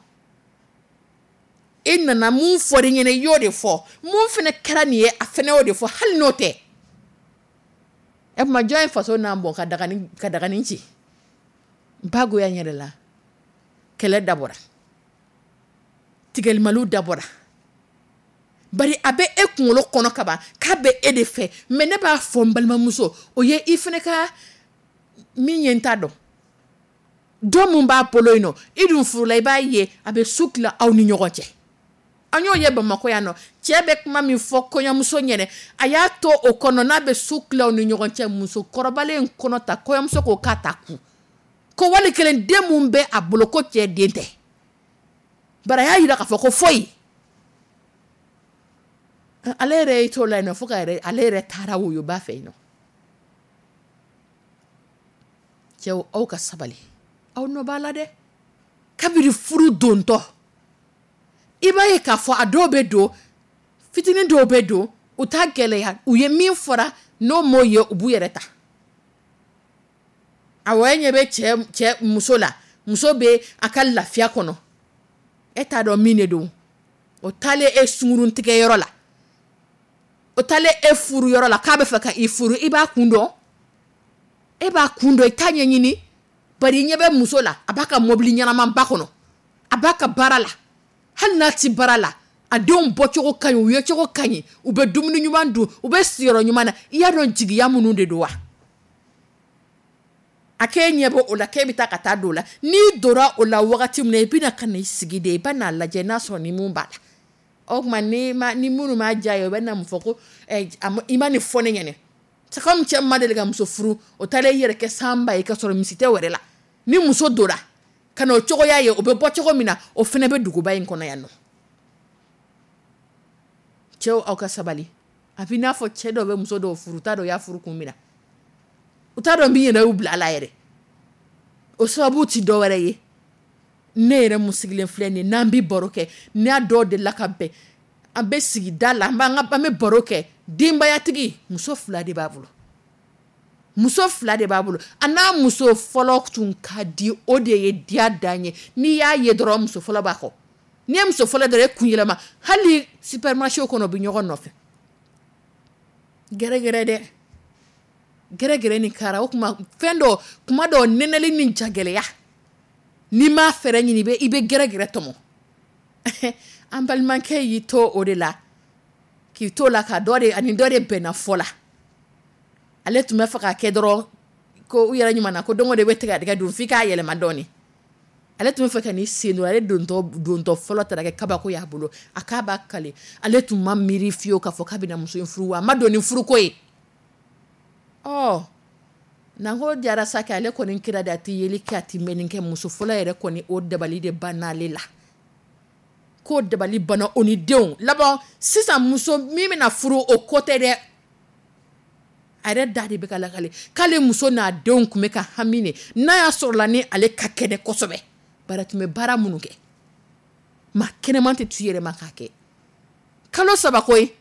E nana mun fɔ i ɲɛna, i y'o de fɔ. Mun fana kɛra nin ye, a fana y'o de fɔ, hali n'o tɛ. E tuma jɔn ye faso n'an bɔ ka dagani ci? N ba goya n yɛrɛ la. Kɛlɛ dabɔra. Tigɛlimaliw dabɔra. Bari a bɛ e kunkolo kɔnɔ kaban k'a bɛ e de fɛ. Mais ne b'a fɔ n balimamuso, o ye i fana ka min ye n t'a dɔn. Dɔ mun b'a bolo yen nɔ, i dun furula, i b'a ye a bɛ su tila aw ni ɲɔgɔn cɛ. An y'o ye Bamakɔ yan nɔ, cɛ bɛ kuma min fɔ kɔɲɔmuso ɲɛnɛ, a y'a to o kɔnɔ n'a bɛ su tila aw ni ɲɔgɔn cɛ, muso kɔrɔbalen in kɔnɔ ta, kɔɲɔmuso ko k'a ta kun. Ko wali kelen den mun bɛ a bolo ko cɛ den tɛ. Bari a y'a yira k'a fɔ ko foyi. Ale yɛrɛ y'i t'o la yen nɔ fo ka yɛrɛ, ale yɛrɛ taara woyoba fɛ yen nɔ. Cɛw, aw ka sabali. Aw nɔ b'a la dɛ. Kabini furu dontɔ, i b'a ye k'a fɔ a dɔw bɛ don, fitinin dɔw bɛ don, u t'a gɛlɛya, u ye min fɔra n'o m'o ye, u b'u yɛrɛ ta. Awɔ, e ɲɛ bɛ cɛ muso la, muso bɛ a ka lafiya kɔnɔ, e t'a dɔn min de don. O taalen e sungurun tigɛyɔrɔ la, o taalen e furu yɔrɔ la k'a bɛ fɛ ka i furu, i b'a kun dɔn, e b'a kun dɔn, i t'a ɲɛɲini. Bari i ɲɛ bɛ muso la, a b'a ka mobili ɲɛnamaba kɔnɔ, a b'a ka baara la, hali n'a ti baara la, a denw bɔcogo ka ɲi, u yecogo ka ɲi, u bɛ dumuni ɲuman dun, u bɛ sigiyɔrɔ ɲuman na. I y'a dɔn jigiya minnu de don wa? A k'e ɲɛ bɔ o la, k'e bɛ taa ka taa don o la. N'i donna o la wagati min na, i bɛna ka na i sigi de, i bɛ n'a lajɛ n'a sɔrɔ ni mun b'a la. O tuma ni minnu m'a diya ye, o bɛ na mun fɔ ko i ma nin fɔ ne ɲɛna. C'est comme cɛ ma deli ka muso furu, o taara i yɛrɛ kɛ sanba ye ka sɔrɔ misi tɛ wɛrɛ la. Ni muso donna ka na o cogoya ye, o bɛ bɔ cogo min na, o fana bɛ duguba in kɔnɔ yan nɔ. Cɛw, aw ka sabali. A b'i n'a fɔ cɛ dɔw bɛ muso dɔw furu, u t'a dɔn u y'a furu kun min na. U t'a dɔn min yɛrɛ y'u bila a la yɛrɛ. O sababu ti dɔ wɛrɛ ye. Ne yɛrɛ mun sigilen filɛ nin ye, n'an bɛ baro kɛ, n'a dɔw delila ka bɛn. An bɛ sigida la, an bɛ baro kɛ. Denbayatigi, muso 2 de b'a bolo, muso 2 de b'a bolo. A n'a muso fɔlɔ tun ka di, o de ye diya dan ye. N'i y'a ye dɔrɔn, muso fɔlɔ b'a kɔ. N'i ye muso fɔlɔ dɔrɔn, e kun yɛlɛma. Hali supermarché kɔnɔ, u bɛ ɲɔgɔn nɔfɛ. Gɛrɛgɛrɛ dɛ, gɛrɛgɛrɛ ni kara. O tuma fɛn dɔ, kuma dɔ, nɛnɛli ni jagɛlɛya, n'i m'a fɛɛrɛ ɲini, i bɛ gɛrɛgɛrɛ tɔmɔ. An balimakɛ y'i to o de la, k'i to la ka dɔ de ani dɔ de bɛnna fɔ la. Ale tun bɛ fɛ ka kɛ dɔrɔn ko u yɛrɛ ɲuman na ko don o de bɛ tigɛdigɛ dun f'i k'a yɛlɛma dɔɔni. Ale tun bɛ fɛ ka n'i sen don, ale dontɔ fɔlɔ taara kɛ kabako y'a bolo. A k'a b'a kale, ale tun ma miiri fiyewu k'a fɔ k'a bɛna muso in furu wa a ma don ni furuko ye. Ɔ nanko jara sa kɛ, ale kɔni kira de, a tɛ yeli kɛ, a tɛ mɛnni kɛ. Muso fɔlɔ yɛrɛ kɔni, o dabali de banna ale la, k'o dabali banna o ni denw laban. Sisan muso min bɛna furu, o ko tɛ dɛ, a yɛrɛ da de bɛ ka lakale k'ale muso n'a denw tun bɛ ka hami de n'a y'a sɔrɔ la ni ale ka kɛnɛ kosɛbɛ. Bari a tun bɛ baara minnu kɛ, maa kɛnɛman tɛ tu yɛrɛ ma k'a kɛ. Kalo 3 koyi.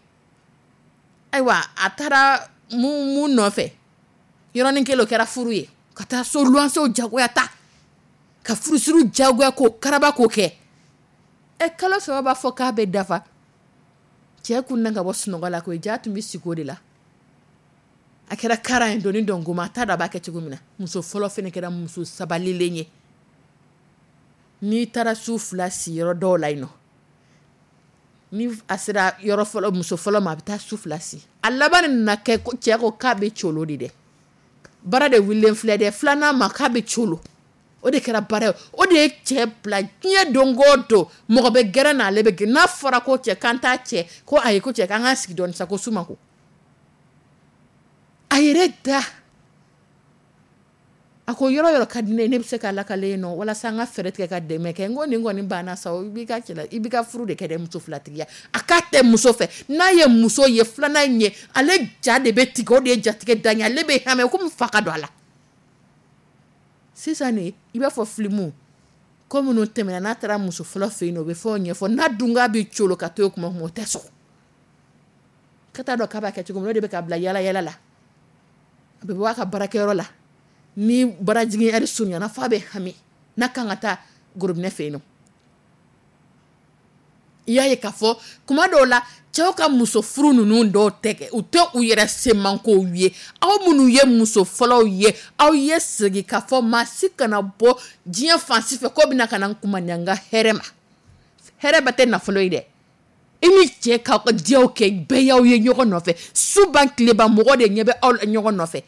Ayiwa, a taara mun nɔfɛ, yɔrɔnin kelen o kɛra furu ye, ka taa so luwansew jagoya ta, ka furusiriw jagoya k'o karaba k'o kɛ. Kalo 3 b'a fɔ k'a bɛ dafa. Cɛ kun na ka bɔ sunɔgɔ la koyi, ja tun bɛ sigi o de la. A kɛra kara ye doni dɔnkoma, a t'a dɔn a b'a kɛ cogo min na. Muso fɔlɔ fana kɛra muso sabalilen ye. N'i taara su 2 si yɔrɔ dɔw la yen nɔ, ni a sera yɔrɔ fɔlɔ, muso fɔlɔ ma, a bɛ taa su 2 si. A laban nana kɛ cɛ ko k'a bɛ colo de dɛ. Baara de wulilen filɛ dɛ, filanan ma k'a bɛ colo. O de kɛra baara ye, o de ye cɛ bila diɲɛ don o don. Mɔgɔ bɛ gɛrɛ na, ale bɛ gɛrɛ. N'a fɔra ko cɛ k'an t'a cɛ, ko ayi, ko cɛ k'an ka sigi dɔɔni sa, ko su ma ko. A yɛrɛ da, a ko yɔrɔ yɔrɔ ka di ne ye, ne bɛ se k'a lakale yen nɔ, walasa an ka fɛɛrɛ tigɛ ka dɛmɛ kɛ. N ko nin kɔni banna sa, i b'i ka cɛla, i b'i ka furu de kɛ dɛ, muso filatigiya. A k'a tɛ muso fɛ, n'a ye muso ye filanan in ye, ale ja de bɛ tigɛ, o de ye jatigɛ dan ye, ale bɛ hami komi fa ka don a la. Sisan nin, i b'a fɔ filimu ko minnu tɛmɛna, n'a taara muso fɔlɔ fɛ yen nɔ, o bɛ fɛnw ɲɛfɔ. N'a dun k'a bɛ colo ka to yen kuma o kuma, o tɛ sɔn. Ka t'a dɔn k'a b'a kɛ cogo min na, o de bɛ ka bila yala yala la. A bɛ bɔ a ka baarakɛyɔrɔ la, ni baarajigin ɛri surunyana, f'a bɛ hami n'a kan ka taa gorobinɛ fɛ yen nɔ. I y'a ye k'a fɔ kuma dɔw la, cɛw ka muso furu ninnu dɔw tɛ kɛ, u tɛ u yɛrɛ semankow ye. Aw minnu ye muso fɔlɔw ye, aw ye segin k'a fɔ maa si kana bɔ diɲɛ fan si fɛ k'o bɛna ka na n kumaniya n ka hɛrɛ ma. Hɛrɛ bɛɛ tɛ nafolo ye dɛ. I ni cɛ k'aw ka diyaw kɛ, bɛɛ y'aw ye ɲɔgɔn nɔfɛ. Su ban tile ban, mɔgɔ de ɲɛ bɛ aw la ɲɔgɔn nɔfɛ.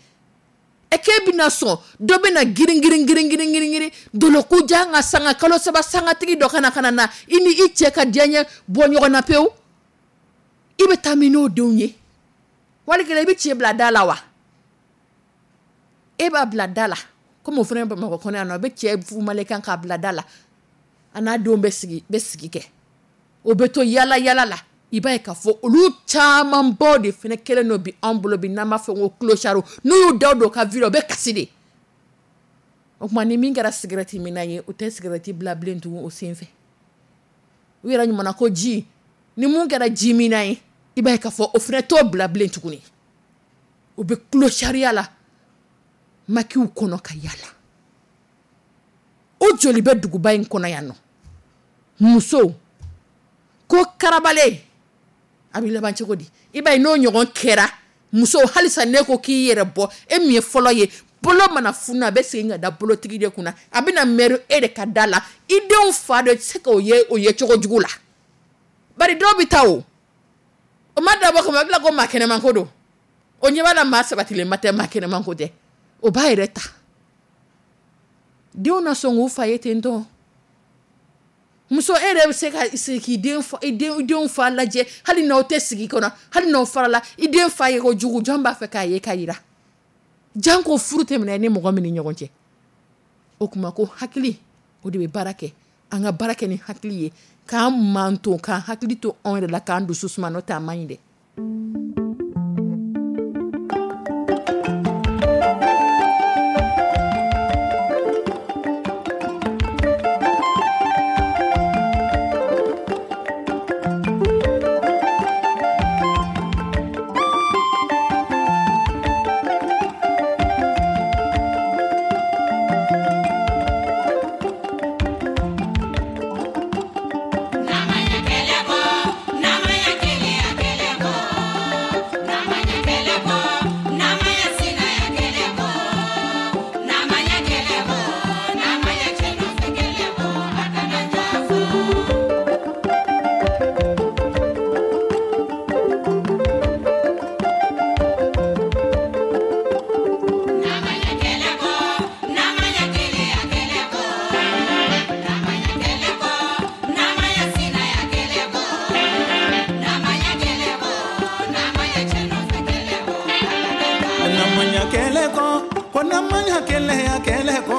K'e bɛna sɔn, dɔ bɛna girin girin girin girin girin girin, doloku jan ka sanga kalo 3 sangatigi dɔ kana ka na i ni i cɛ ka diya ɲɛ bɔ ɲɔgɔn na pewu. I bɛ taa min n'o denw ye? Wali kelen i bɛ cɛ bila da la wa? E b'a bila da la, komi o fana bɛ Bamakɔ kɔnɔ yan nɔ, a bɛ cɛ fumalen kan k'a bila da la. A n'a denw bɛ sigi kɛ. O bɛ to yala yala la. I b'a ye k'a fɔ olu camanbaw de fana kɛlen don bi anw bolo bi, n'an b'a fɔ ko clochard. N'u y'u da don u ka vie la, u bɛ kasi de. O tuma ni min kɛra cigarette minna ye, u tɛ cigarette bila bilen tugun o sen fɛ. U yɛrɛ ɲuman ko ji, ni mun kɛra ji minna ye, i b'a ye k'a fɔ o fana t'o bila bilen tuguni. U bɛ clochardya la, makiw kɔnɔ ka yala. O joli bɛ duguba in kɔnɔ yan nɔ. Musow ko karabalen, a bɛ laban cogo di? I b'a ye n'o ɲɔgɔn kɛra, muso halisa ne ko k'i yɛrɛ bɔ, e min ye fɔlɔ ye, bolo mana funu a bɛ segin ka da bolotigi de kunna, a bɛna mɛri e de ka da la, i denw fa de tɛ se k'o ye o ye cogo jugu la. Bari dɔw bɛ taa o, o ma dabɔ kama, a bɛ ko maa kɛnɛman ko don, o ɲɛ b'a la maa sabatilenba tɛ, maa kɛnɛman ko tɛ, o b'a yɛrɛ ta. Denw na sɔn k'u fa ye ten tɔ. Muso e yɛrɛ bɛ se ka sigi k'i den fa, i den, i denw fa lajɛ, hali n'aw tɛ sigi kɔnɔ, hali n'aw farala, i den fa ye ko jugu, jɔn b'a fɛ k'a ye k'a yira? Janko furu tɛmɛna i ni mɔgɔ min ni ɲɔgɔn cɛ. O kuma ko hakili, o de bɛ baara kɛ. An ka baara kɛ ni hakili ye, k'an manto, k'an hakili to anw yɛrɛ la, k'an dusu suma, n'o tɛ a man ɲi dɛ. kɛlɛ kɔ, ko n'an ma ɲa keleya kɛlɛ kɔ,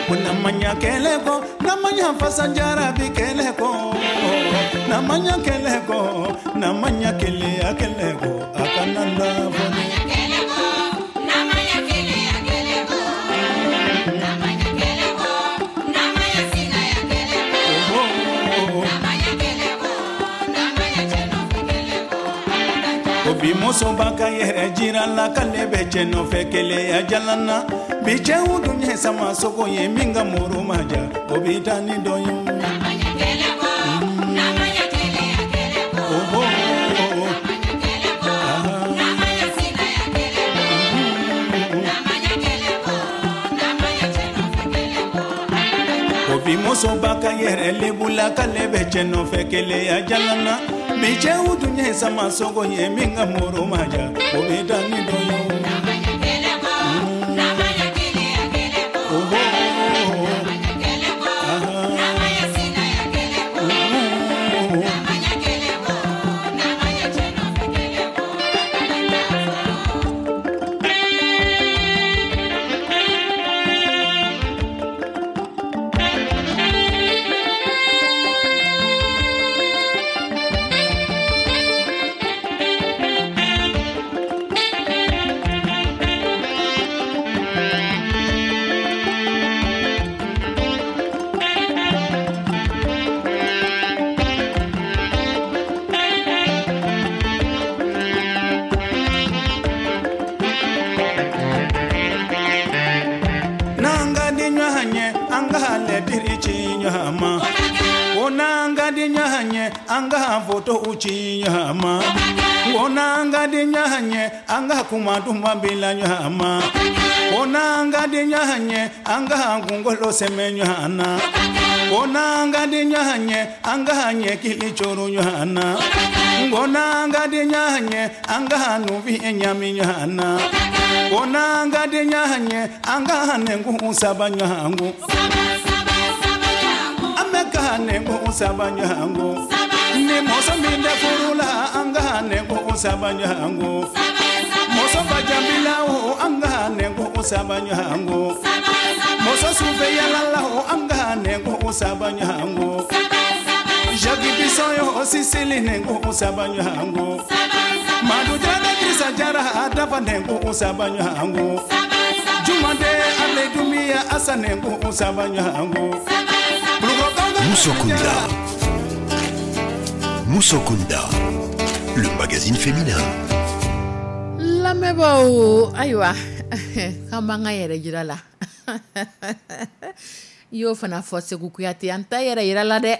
ko n'an ma ɲa kɛlɛ kɔ, n'an ma ɲa fasajarabi kɛlɛ kɔ, n'an ma ɲa kɛlɛ kɔ, n'an ma ɲa keleya kɛlɛ kɔ, a kana na fɔ. Bi musoba ka yɛrɛ jira la k'ale bɛ cɛ nɔfɛ keleya jalan na, bi cɛw dun ye sama sogo ye, min ka muru ma ja, o bɛ taa ni dɔ ye. O bi musoba ka yɛrɛ lebu la k'ale bɛ cɛ nɔfɛ keleya jalan na, bi cɛw dun ye sama sogo ye, min ka muru ma ja, o bɛ taa ni dɔ ye. An ka foto ci ɲɔgɔn ma, ko n'an ka di ɲɔgɔn ye, an ka kuma duman bila ɲɔgɔn ma, ko n'an ka di ɲɔgɔn ye, an ka kunkolo sɛmɛ ɲɔgɔn na, ko n'an ka di ɲɔgɔn ye, an ka ɲɛkili coro ɲɔgɔn na, ko n'an ka di ɲɔgɔn ye, an ka nufin ɲami ɲɔgɔn na, ko n'an ka di ɲɔgɔn ye, an ka nɛnkun saba ɲɔgɔn kun, an bɛ ka nɛnkun saba ɲɔgɔn kun. Ni muso min tɛ furu la, an ka nɛnkun saba ɲɔgɔn kun. Muso ba jabila o, an ka nɛnkun saba ɲɔgɔn kun. Muso sufɛ yala la o, an ka nɛnkun saba ɲɔgɔn kun. Jacques Bisson o, Sisili nɛnkun saba ɲɔgɔn kun. Madu Jara Dirisa Jara a dafa nɛnkun saba ɲɔgɔn kun. Jumande Ale Dumiya Asa nɛnkun saba ɲɔgɔn kun. Musokunda. Musokunda, le magazine féminin. Lamɛnbaaw, ayiwa, k'an b'an ka yɛrɛ jira la. I y'o fana fɔ Segu Kuyate, an ta yɛrɛ yira la dɛ.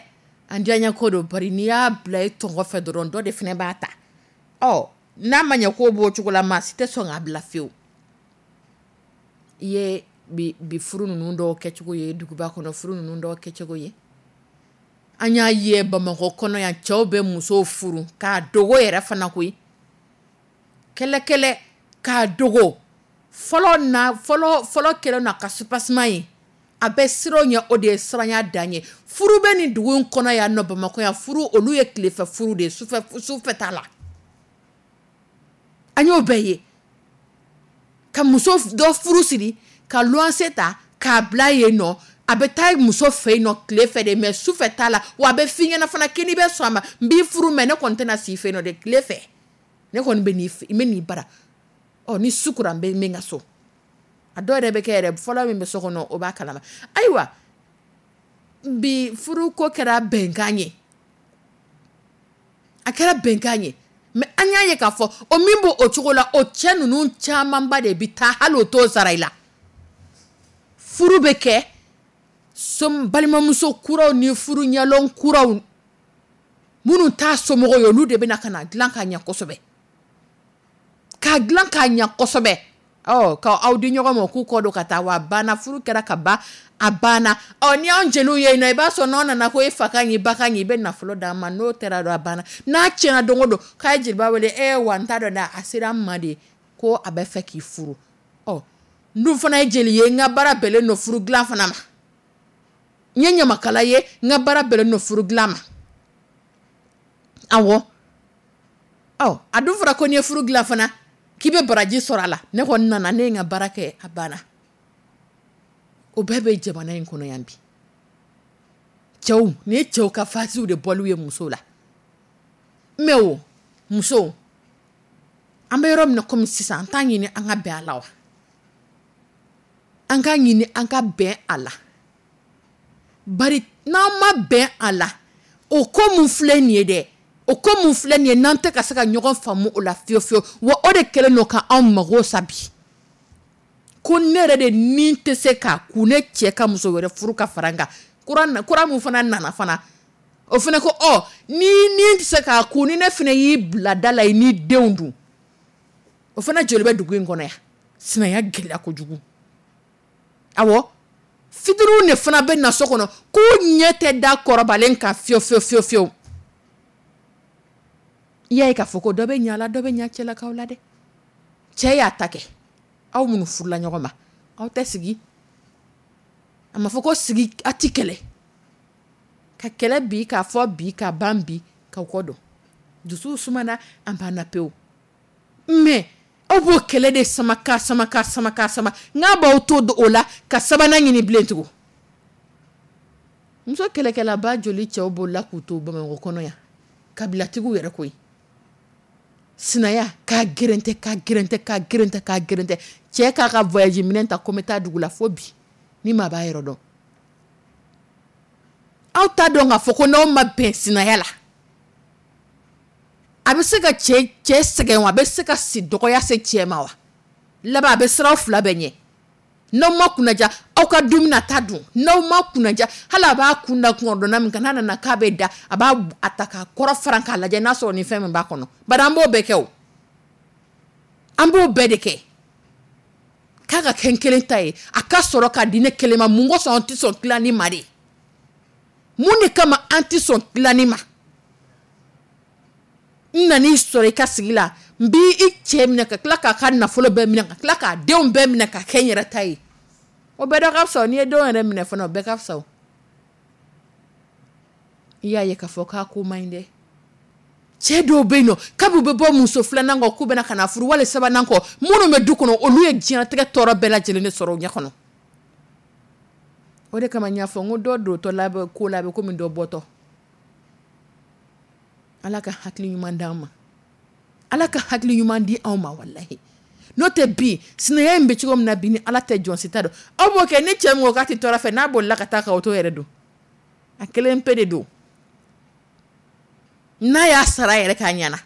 An diyaɲɛ ko don, bari n'i y'a bila i tɔngɔ fɛ dɔrɔn, dɔ de fana b'a ta. Ɔ n'a ma ɲɛ k'o b'o cogo la, maa si tɛ sɔn k'a bila fiyewu. I ye bi furu ninnu dɔw kɛcogo ye, duguba kɔnɔ furu ninnu dɔw kɛcogo ye. An y'a ye Bamakɔ kɔnɔ yan, cɛw bɛ musow furu k'a dogo yɛrɛ fana koyi, kɛlɛkɛlɛ k'a dogo. Fɔlɔ na fɔlɔ kɛlɛ na ka supasima ye, a bɛ siran ɲɛ, o de ye siranya dan ye. Furu bɛ nin dugu in kɔnɔ yan nɔ Bamakɔ yan, furu olu ye tilefɛ furu de ye, sufɛ t'a la. An y'o bɛɛ ye, ka muso dɔ furu siri, ka luwanse ta k'a bila yen nɔ, a bɛ taa muso fɛ yen nɔ tile fɛ de, mɛ sufɛ t'a la. Wa a bɛ f'i ɲɛna fana k'i n'i bɛ sɔn a ma, n b'i furu mɛ ne kɔni tɛna s'i fɛ yen nɔ dɛ, tile fɛ ne kɔni bɛ n'i fɛ, n bɛ n'i bara. Ɔ ni su kora n bɛ n ka so. A dɔw yɛrɛ bɛ kɛ yɛrɛ fɔlɔ min bɛ so kɔnɔ o b'a kalama. Ayiwa, bi furu ko kɛra bɛnkan ye, a kɛra bɛnkan ye, mɛ an y'a ye k'a fɔ o min b'o o cogo la, o cɛ ninnu camanba de bɛ taa hali o t'o sara i la. Furu bɛ kɛ balimamuso kuraw ni furu ɲɛlɔn kuraw minnu t'a somɔgɔw ye, olu de bɛna ka na dilan k'a ɲɛ kosɛbɛ, k'a dilan k'a ɲɛ kosɛbɛ. Ɔ ka aw di ɲɔgɔn ma k'u kɔ don ka taa, wa banna, furu kɛra ka ban, a banna. Ɔ ni anw jeliw ye yen nɔ, i b'a sɔrɔ n'aw nana ko e fa ka ɲi, ba ka ɲi, i bɛ nafolo d'a ma, n'o kɛra dɔrɔn a banna. N'a tiɲɛna don o don, k'a ye jeliba wele, e wa n t'a dɔn dɛ, a sera n ma de ko a bɛ fɛ k'i furu. Ɔ n dun fana ye jeli ye, n ka baara bɛnnen don furu dilan fana ma. N ye ɲamakala ye, n ka baara bɛnnen don furu dilan ma. Awɔ, ɔ a dun fɔra ko n'i ye furu dilan fana, k'i K'i bɛ baraji sɔrɔ a la. Ne kɔni nana, ne ye n ka baara kɛ, a banna. O bɛɛ bɛ jamana in kɔnɔ yan bi. Cɛw, nin ye cɛw ka fasiw de bɔliw ye musow la. Mais o musow, an bɛ yɔrɔ min na komi sisan, an t'a ɲini an ka bɛn a la wa? An k'a ɲini an ka bɛn a la, bari n'an ma bɛn a la, o ko mun filɛ nin ye dɛ, o ko mun filɛ nin ye, n'an tɛ ka se ka ɲɔgɔn faamu o la fiyewu fiyewu wa, o de kɛlen don ka anw mago sa bi. Ko ne yɛrɛ de ni tɛ se k'a kun ne cɛ ka muso wɛrɛ furu ka fara n kan. Kura kura mun fana nana fana, o fana ko ɔ ni ni tɛ se k'a kun ni ne fana y'i bila da la i n'i denw dun. O fana joli bɛ dugu in kɔnɔ yan? Sinaya gɛlɛya kojugu. Awɔ, fitiriw de fana bɛ na so kɔnɔ k'u ɲɛ tɛ da kɔrɔbalen kan fiyewu fiyewu fiyewu fiyewu. I y'a ye k'a fɔ ko dɔ bɛ ɲa la, dɔ bɛ ɲa cɛlakaw la dɛ. Cɛ y'a ta kɛ, aw minnu furula ɲɔgɔn ma, aw tɛ sigi. A ma fɔ ko sigi a ti kɛlɛ ka kɛlɛ bi k'a fɔ bi ka ban bi k'aw kɔ don, dusuw sumana, an banna pewu. Mais aw b'o kɛlɛ de sama ka sama ka sama ka sama, n'a b'aw to o la ka sabanan ɲini bilen tugun. Muso kɛlɛkɛlaba joli cɛw bolila k'u to Bamakɔ kɔnɔ yan, kabilatigiw yɛrɛ koyi. Sinaya k'a gɛrɛntɛ, k'a gɛrɛntɛ, k'a gɛrɛntɛ, k'a gɛrɛntɛ. Cɛ k'a ka voyage minɛn ta ko n bɛ taa dugu la, fo bi ni maa b'a yɔrɔ dɔn. Aw t'a dɔn k'a fɔ ko n'aw ma bɛn sinaya la, a bɛ se ka cɛ sɛgɛn wa, a bɛ se ka si dɔgɔya se cɛ ma wa? Laban a bɛ siran fila bɛɛ ɲɛ. N'aw ma kunnaja, aw ka dumuni a ta dun. N'aw ma kunnaja, hali a b'a kun da kungɔdɔnna min kan, n'a nana k'a bɛ da, a b'a a ta k'a kɔrɔ faran k'a lajɛ n'a sɔrɔ ni fɛn min b'a kɔnɔ. Bari an b'o bɛɛ kɛ o, an b'o bɛɛ de kɛ. K'a ka kɛ n kelen ta ye, a ka sɔrɔ k'a di ne kelen ma. Mun kosɔn an tɛ sɔn tilani ma de? Mun de kama an tɛ sɔn tilani ma? N nan'i sɔrɔ i ka sigi la, n b'i cɛ minɛ ka tila k'a ka nafolo bɛɛ minɛ, ka tila k'a denw bɛɛ minɛ ka kɛ n yɛrɛ ta ye. O bɛɛ dɔ ka fisa. N'i ye denw yɛrɛ minɛ fana, o bɛɛ ka fisa. O i y'a ye k'a fɔ k'a ko man ɲi dɛ. Cɛ dɔw bɛ yen nɔ, kabi u bɛ bɔ muso filanan kɔ k'u bɛna ka na furu wali sabanan kɔ, minnu bɛ du kɔnɔ, olu ye diɲɛlatigɛ tɔɔrɔ bɛɛ lajɛlen de sɔrɔ u ɲɛ kɔnɔ. O de kama n y'a fɔ n ko dɔ dontɔ la bɛ ko la, a bɛ komi dɔ bɔtɔ. Ala ka hakili ɲuman d'an ma, Ala ka hakili ɲuman di anw ma walahi. N'o tɛ bi sinaya in bɛ cogo min na bi, ni Ala tɛ jɔn si t'a dɔn. Aw b'o kɛ ni cɛ min ko k'a tɛ tɔɔrɔ fɛ, n'a bolila ka taa k'aw to yɛrɛ don, a kelen pe de don, n'a y'a sara yɛrɛ k'a ɲɛna.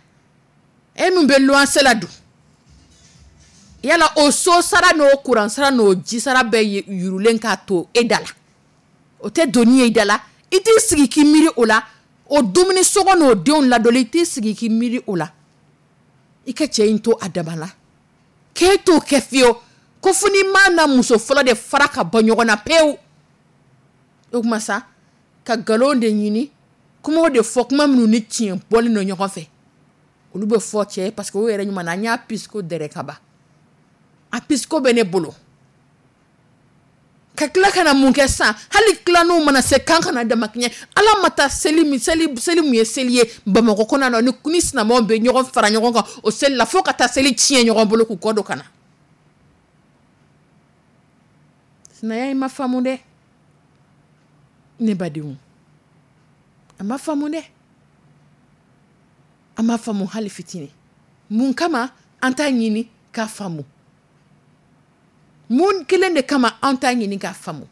E min bɛ luwanse la dun, yala o so sara n'o kuran sara n'o ji sara bɛɛ yurulen k'a to e da la, o tɛ doni ye i da la? I t'i sigi k'i miiri o la? O dumuni sɔngɔ n'o denw ladoli, i t'i sigi k'i miiri o la? I ka cɛ in to a dama la, k'e t'o kɛ fiyewu, ko fo n'i ma na muso fɔlɔ de fara ka bɔ ɲɔgɔn na pewu. O tuma sa, ka nkalon de ɲini, kumaw de fɔ, kuma minnu ni tiɲɛ bɔlen don ɲɔgɔn fɛ, olu bɛ fɔ cɛ ye, parce que o yɛrɛ ɲuman na, an y'a pisiko dɛrɛ ka ban, a pisiko bɛ ne bolo. Ka tila ka na mun kɛ sisan? Hali tilaninw mana se kan kana damakɛɲɛ. Ala ma taa seli min, seli seli mun ye seli ye Bamakɔ kɔnɔ yan nɔ, ni silamɛw bɛ ɲɔgɔn fara ɲɔgɔn kan o seli la, fo ka taa seli tiɲɛ ɲɔgɔn bolo k'u kɔ don ka na. Sinaya in ma faamu dɛ, ne badenw, a ma faamu dɛ, a ma faamu hali fitinin. Mun kama an t'a ɲini k'a faamu? Mun kelen de kama an t'a ɲini k'a faamu?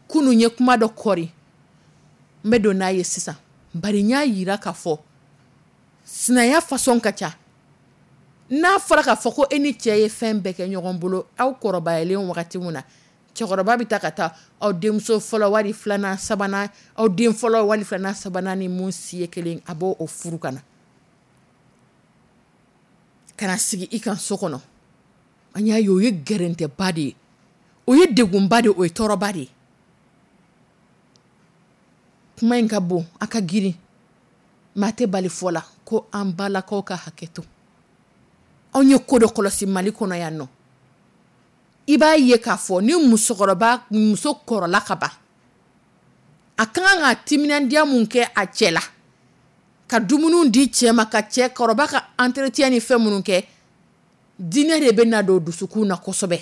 Kunun ye kuma dɔ kɔri, n bɛ don n'a ye sisan, bari n y'a yira k'a fɔ sinaya façon ka ca. N'a fɔra k'a fɔ ko e ni cɛ ye fɛn bɛɛ kɛ ɲɔgɔn bolo, aw kɔrɔbayalen wagati min na, cɛkɔrɔba bɛ taa ka taa aw denmuso fɔlɔ wali filanan sabanan, aw den fɔlɔ wali filanan sabanan ni mun si ye kelen, a b'o o furu ka na, ka na sigi i kan so kɔnɔ. An y'a ye o ye gɛrɛntɛba de ye, o ye degunba de ye, o ye tɔɔrɔba de ye. Kuma in ka bon, a ka girin, maa tɛ bali fɔ la ko an balakaw ka hakɛ to. Anw ye ko dɔ kɔlɔsi Mali kɔnɔ yan nɔ, i b'a ye k'a fɔ ni musokɔrɔba, muso kɔrɔla ka ban, a ka kan ka timinandiya mun kɛ a cɛ la, ka dumuniw di cɛ ma, ka cɛ kɔrɔba ka entretien ni fɛn minnu kɛ. Diinɛ de bɛ na don dusukun na kosɛbɛ.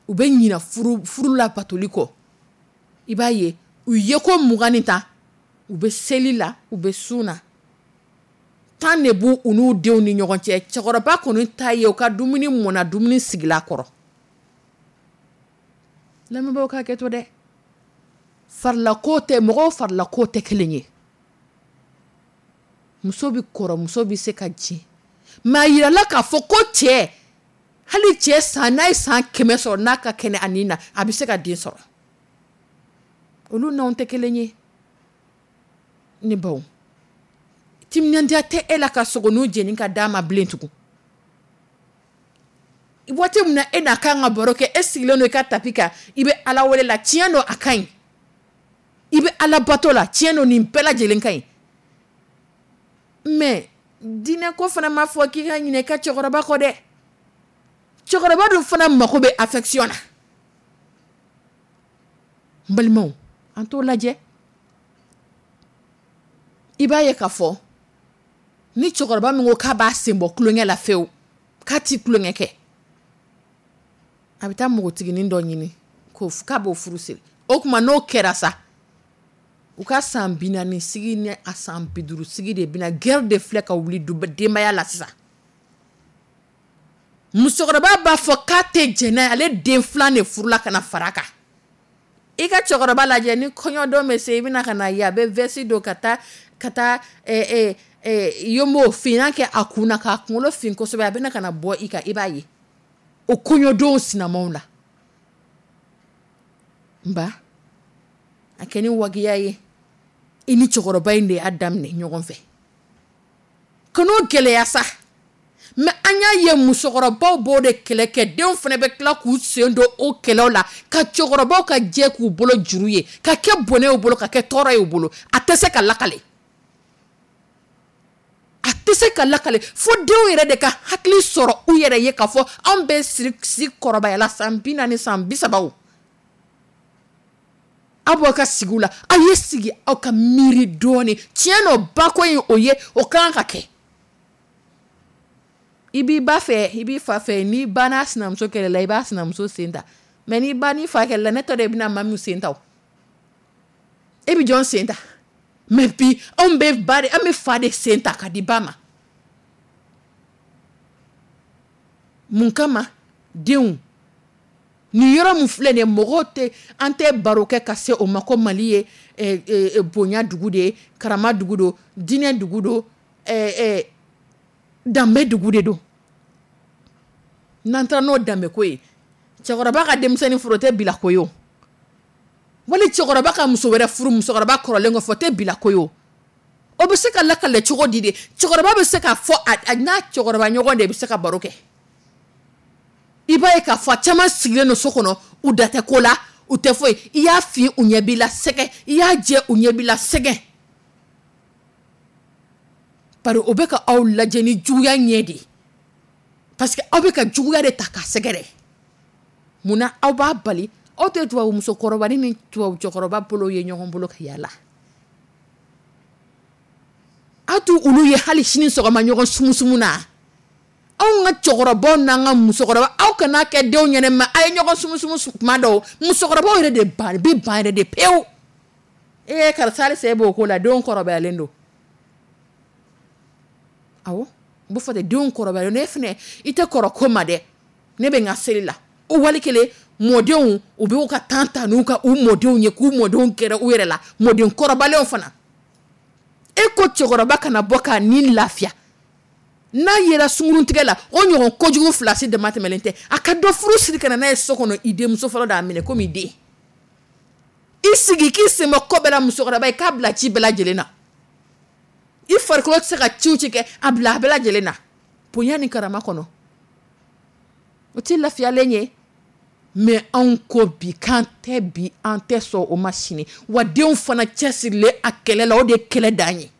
U bɛ ɲina furu labatoli kɔ. I b'a ye, u ye ko 20 ni 10, u bɛ seli la, u bɛ sun na. Tan de b'u u n'u denw ni ɲɔgɔn cɛ. Cɛkɔrɔba kɔni ta ye u ka dumuni mɔna, dumuni sigila kɔrɔ. Lamɛnbaaw ka hakɛ to dɛ. Farilako tɛ, mɔgɔw farilako tɛ kelen ye. Muso bɛ kɔrɔ, muso bɛ se ka jigin, mais a yirala k'a fɔ ko cɛ, hali cɛ san n'a ye san 100 sɔrɔ, n'a ka kɛnɛ a nin na, a bɛ se ka den sɔrɔ. Olu n'anw tɛ kelen ye. Ne baw, timinandiya tɛ e la ka sogoninw jeni ka d'a ma bilen tugun. Waati min na e n'a kan ka baro kɛ, e sigilen don i ka tapis kan, i bɛ Ala wele la. Tiɲɛ don, a ka ɲi. I bɛ Ala bato la. Tiɲɛ don, nin bɛɛ lajɛlen ka ɲi. Mais diinɛ ko fana ma fɔ k'i ka ɲinɛ i ka cɛkɔrɔba kɔ dɛ. Cɛkɔrɔba dun fana mako bɛ affection na. N balimaw, an t'o lajɛ. I b'a ye k'a fɔ ni cɛkɔrɔba min ko k'a b'a sen bɔ tulonkɛ la fewu, k'a ti tulonkɛ kɛ, a bɛ taa npogotiginin dɔ ɲini k'a b'o furu siri. O tuma n'o kɛra sa, u ka san 40 sigi ni a san 50 sigi de bɛna guerre de filɛ ka wuli denbaya la sisan. Musokɔrɔba b'a fɔ k'a tɛ jɛn n'a ye, ale den filan de furula ka na fara a kan. I ka cɛkɔrɔba lajɛ, ni kɔɲɔdon bɛ se, i bɛna ka na ye a bɛ veste don ka taa yonbo finna kɛ a kun na, k'a kunkolo fin kosɛbɛ. A bɛna ka na bɔ i kan, i b'a ye o kɔɲɔdon sinamaw la. N ba, a kɛ ni wajibiya ye, i ni cɛkɔrɔba in de y'a daminɛ ɲɔgɔn fɛ, kan'o gɛlɛya sa. Mais an y'a ye, musokɔrɔbaw b'o de kɛlɛ kɛ, denw fana bɛ tila k'u sen don o kɛlɛw la, ka cɛkɔrɔbaw ka jɛ k'u bolo juru ye, ka kɛ bɔnɛ y'u bolo, ka kɛ tɔɔrɔ y'u bolo. A tɛ se ka lakale, a tɛ se ka lakale, fo denw yɛrɛ de ka hakili sɔrɔ u yɛrɛ ye k'a fɔ anw bɛ siri si kɔrɔbayala san 40, san 30. Aw b'aw ka sigiw la, aw ye sigi, aw ka miiri dɔɔnin. Tiɲɛ nɔ bako in, o ye o kan ka kɛ. I b'i ba fɛ, i b'i fa fɛ. N'i ba n'a sinamuso kɛlɛla, i b'a sinamuso sen ta. Mais n'i ba n'i fa kɛlɛla, ne t'a dɔn i bɛna ma min sen ta. O e bɛ jɔn sen ta? Mais bi, anw bɛ ba de, an bɛ fa de sen ta ka di ba ma. Mun kama? Denw nin yɔrɔ min filɛ nin ye, mɔgɔw tɛ, an tɛ baro kɛ ka se o ma ko Mali ye bonya dugu de ye, karama dugu don, diinɛ dugu don, danbe dugu de don. N'an taara n'o danbe ko ye, cɛkɔrɔba ka denmisɛnnin furu, o tɛ bila ko ye o. Wali cɛkɔrɔba ka muso wɛrɛ furu musokɔrɔba kɔrɔlen kɔfɛ, o tɛ bila ko ye o. O bɛ se ka lakale cogo di de? Cɛkɔrɔba bɛ se k'a fɔ a n'a cɛkɔrɔba ɲɔgɔn de bɛ se ka baro kɛ. I b'a ye k'a fɔ a caman sigilen don so kɔnɔ, u da tɛ ko la, u tɛ foyi. I y'a fi, u ɲɛ b'i la sɛgɛ. I y'a jɛ, u ɲɛ b'i la sɛgɛ. Bari o bɛ ka aw lajɛ ni juguya ɲɛ de ye, parce que aw bɛ ka juguya de ta k'a sɛgɛrɛ. Munna aw b'a bali? Aw tɛ tubabu musokɔrɔba ni tubabu cɛkɔrɔba bolo ye ɲɔgɔn bolo ka yaala. Aw t'u olu ye hali sini sɔgɔma ɲɔgɔn sumusumu na. Anw ka cɛkɔrɔbaw n'an ka musokɔrɔba, aw kana kɛ denw ɲɛnɛ ma a ye ɲɔgɔn sumusumu kuma dɔw. Musokɔrɔbaw yɛrɛ de ban bɛ ban yɛrɛ de pewu. Ee karisa, halisa e b'o ko la? Denw kɔrɔbayalen don. Awɔ, u bɛ fɔ de, denw kɔrɔbayalen don. E fɛnɛ, i tɛ kɔrɔ ko ma dɛ. Ne bɛ n ka seli la. O wali kelen, mɔdenw, u b'u ka temps ta n'u ka u mɔdenw ye, k'u mɔdenw gɛrɛ u yɛrɛ la. Mɔden kɔrɔbalenw fana, e ko cɛkɔrɔba kana bɔ k'a ni lafiya n'a yera sunkuruntigɛ la, o ɲɔgɔn kojugu fila si dama tɛmɛlen tɛ. A ka dɔ furu siri ka na n'a ye so kɔnɔ, i denmuso fɔlɔ d'a minɛ komi i den. I sigi k'i sen bɔ ko bɛɛ la. Musokɔrɔba, i k'a bila ci bɛɛ lajɛlen na. I farikolo tɛ se ka ciw ci kɛ, a bila a bɛɛ lajɛlen na bonya ni karama kɔnɔ. O tɛ lafiyalen ye. Mais anw ko bi k'an tɛ bi, an tɛ sɔn o ma sini. Wa denw fana cɛsirilen a kɛlɛ la, o de ye kɛlɛ dan ye.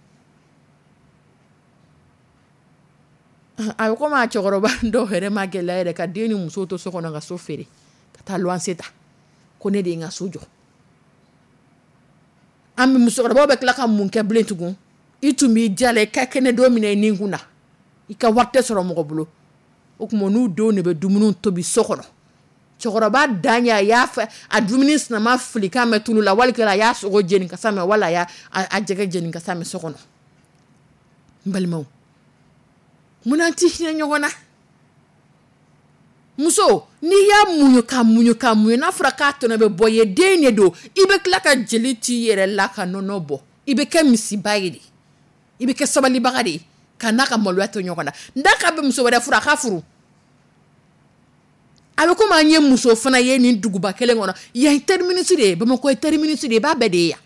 A bɛ komi a cɛkɔrɔba dɔw yɛrɛ ma gɛlɛya yɛrɛ ka den ni muso to so kɔnɔ, ka so feere ka taa luwanse ta, ko ne de ye n ka so jɔ. An bɛ musokɔrɔbaw bɛ tila ka mun kɛ bilen tugun? I tun b'i jala, i ka kɛnɛ don min na i ni kun na. I ka wari tɛ sɔrɔ mɔgɔ bolo. O tuma, n'u denw de bɛ dumuni tobi so kɔnɔ. Cɛkɔrɔba dan ye a y'a fɛ a dumuni sinama filikan mɛn tulu la, wali a y'a sogo jeni kasa mɛn, wala a y'a a jɛgɛ jeni kasa mɛn so kɔnɔ. N balimaw, munna tɛ hinɛ ɲɔgɔn na? Muso, n'i y'a muɲu ka muɲu ka muɲu, n'a fɔra k'a tɔnɔ bɛ bɔ ye, den de don. I bɛ tila ka jeli t'i yɛrɛ la ka nɔnɔ bɔ. I bɛ kɛ misiba ye de, i bɛ kɛ sabalibaga de ye ka n'a ka maloya to ɲɔgɔn na. N'a k'a bɛ muso wɛrɛ furu, a ka furu. A bɛ komi an ye muso fana ye nin duguba kelen kɔnɔ yan, ye terminus de ye. Bamakɔ ye terminus de ye, i b'a bɛɛ de ye yan.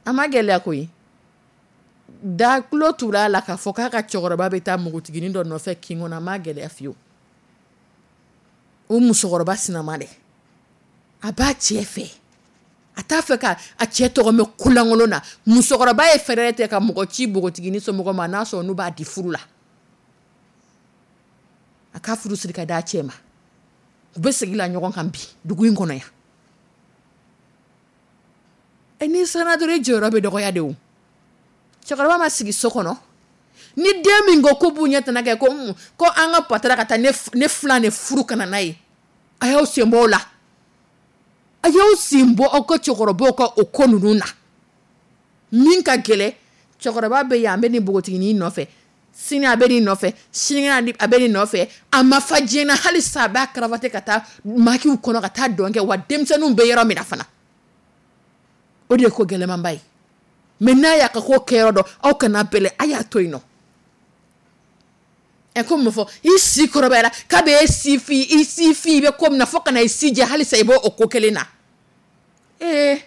A ma gɛlɛya koyi. Da tulo tura a la k'a fɔ k'a ka cɛkɔrɔba bɛ taa npogotiginin dɔ nɔfɛ kin kɔnɔ, a ma gɛlɛya fiyewu. O musokɔrɔba sinama dɛ, a b'a cɛ fɛ, a t'a fɛ ka a cɛ tɔgɔ mɛn kolankolon na. Musokɔrɔba ye fɛɛrɛ tigɛ ka mɔgɔ ci npogotiginin somɔgɔw ma, n'a sɔrɔ n'u b'a di furu la, a ka furu siri ka d'a cɛ ma. U bɛ segin la ɲɔgɔn kan bi dugu in kɔnɔ yan. Ɛ, n'i siranna dɔrɔn, i jɔyɔrɔ bɛ dɔgɔya de. O cɛkɔrɔba ma sigi so kɔnɔ ni den min ko ko b'u ɲɛ tana kɛ ko an ka patara ka taa ne filan de furu ka na n'a ye. A y'aw sen bɔ o la, a y'aw sen bɔ aw ka cɛkɔrɔbaw ka o ko ninnu na. Min ka gɛlɛn, cɛkɔrɔba bɛ yan, a bɛ nin npogotiginin nɔfɛ, sini a bɛ nin nɔfɛ, sinikɛnɛ a bɛ nin nɔfɛ. A ma fa diɲɛ na hali sa, a b'a karavate ka taa makiw kɔnɔ ka taa dɔn kɛ wa denmisɛnninw bɛ yɔrɔ min na fana. O de ye ko gɛlɛmanba ye. Mais n'a y'a ka ko kɛyɔrɔ dɔn, aw kana bɛlɛ, a y'a to yen nɔ. Ɛ, ko mun fɔ? I si kɔrɔbayara k'a bɛ e si fi, i si fi, i bɛ ko min na fo ka na i si jɛ, halisa i b'o o ko kelen na. Ee, n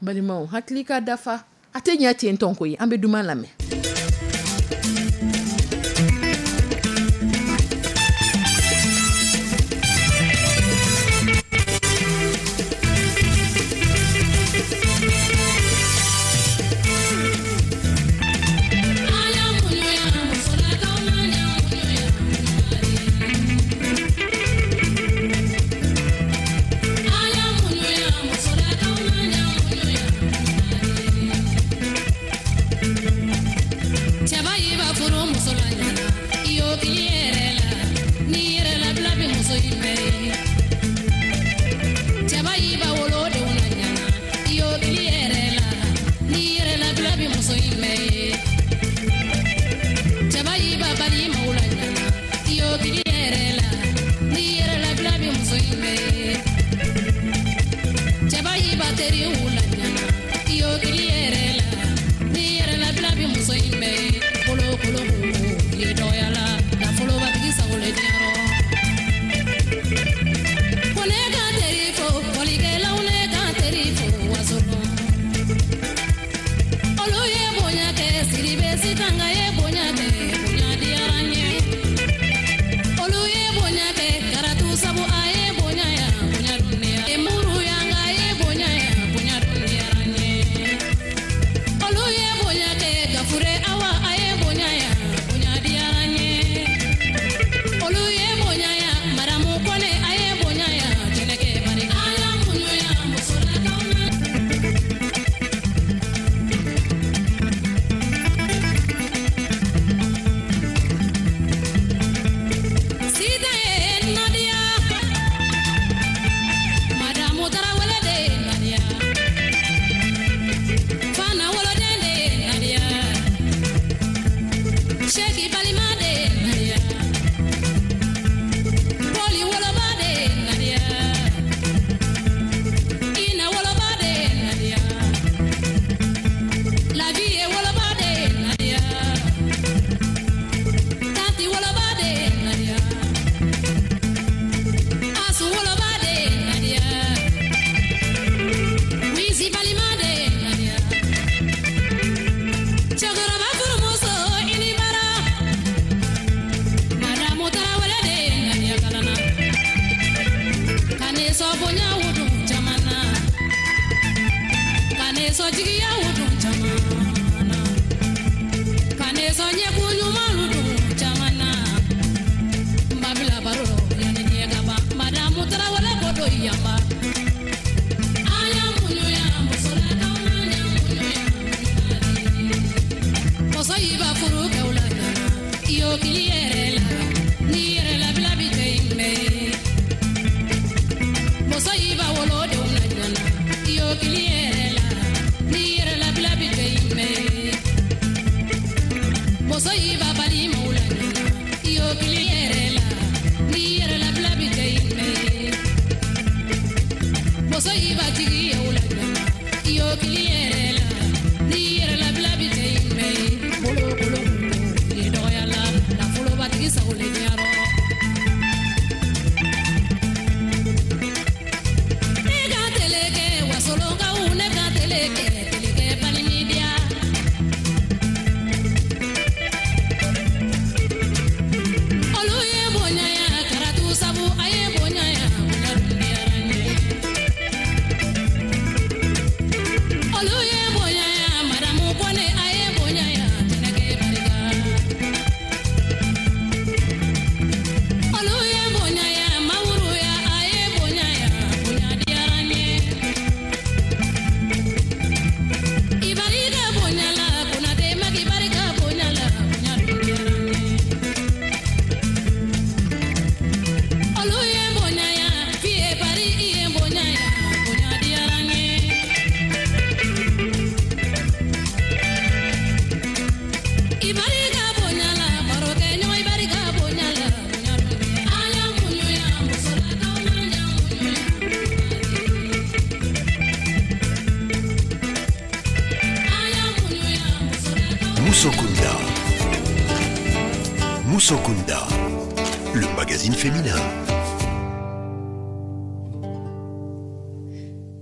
balimaw, hakili ka dafa, a tɛ ɲɛ ten tɔn koyi. An bɛ duman lamɛn. kili yɛrɛ la ni yɛrɛ labila bi cɛ in bɛɛ ye bolokolo kun dɔgɔya la nafolobatigi sago le diyarɔ. Ne ka tele kɛ wasolonkaw ne ka tele kɛ tele kɛ balimidiya. Olu ye bonya ya karatu sabu a ye bonya ya bonya dun diyara n ye. Olu ye bonya ya madamu Kone a ye bonya ya Jɛnɛkɛ barika. Olu ye bonya ya Mawuru ya a ye bonya ya bonya diyara n ye. I barika bonya la Konate Maki barika bonya la bonya dun diyara n ye. Olu ye bonya ya Fiye Bari i ye bonya ya bonya diyara n ye. I barika bonya la barokɛɲɔgɔn i barika bonya la bonya dun diyara. An y'an muɲu yan musolakaw an y'an muɲu yan. An y'an muɲu yan musolakaw. Moussokunda. Moussokunda, le magazine féminin.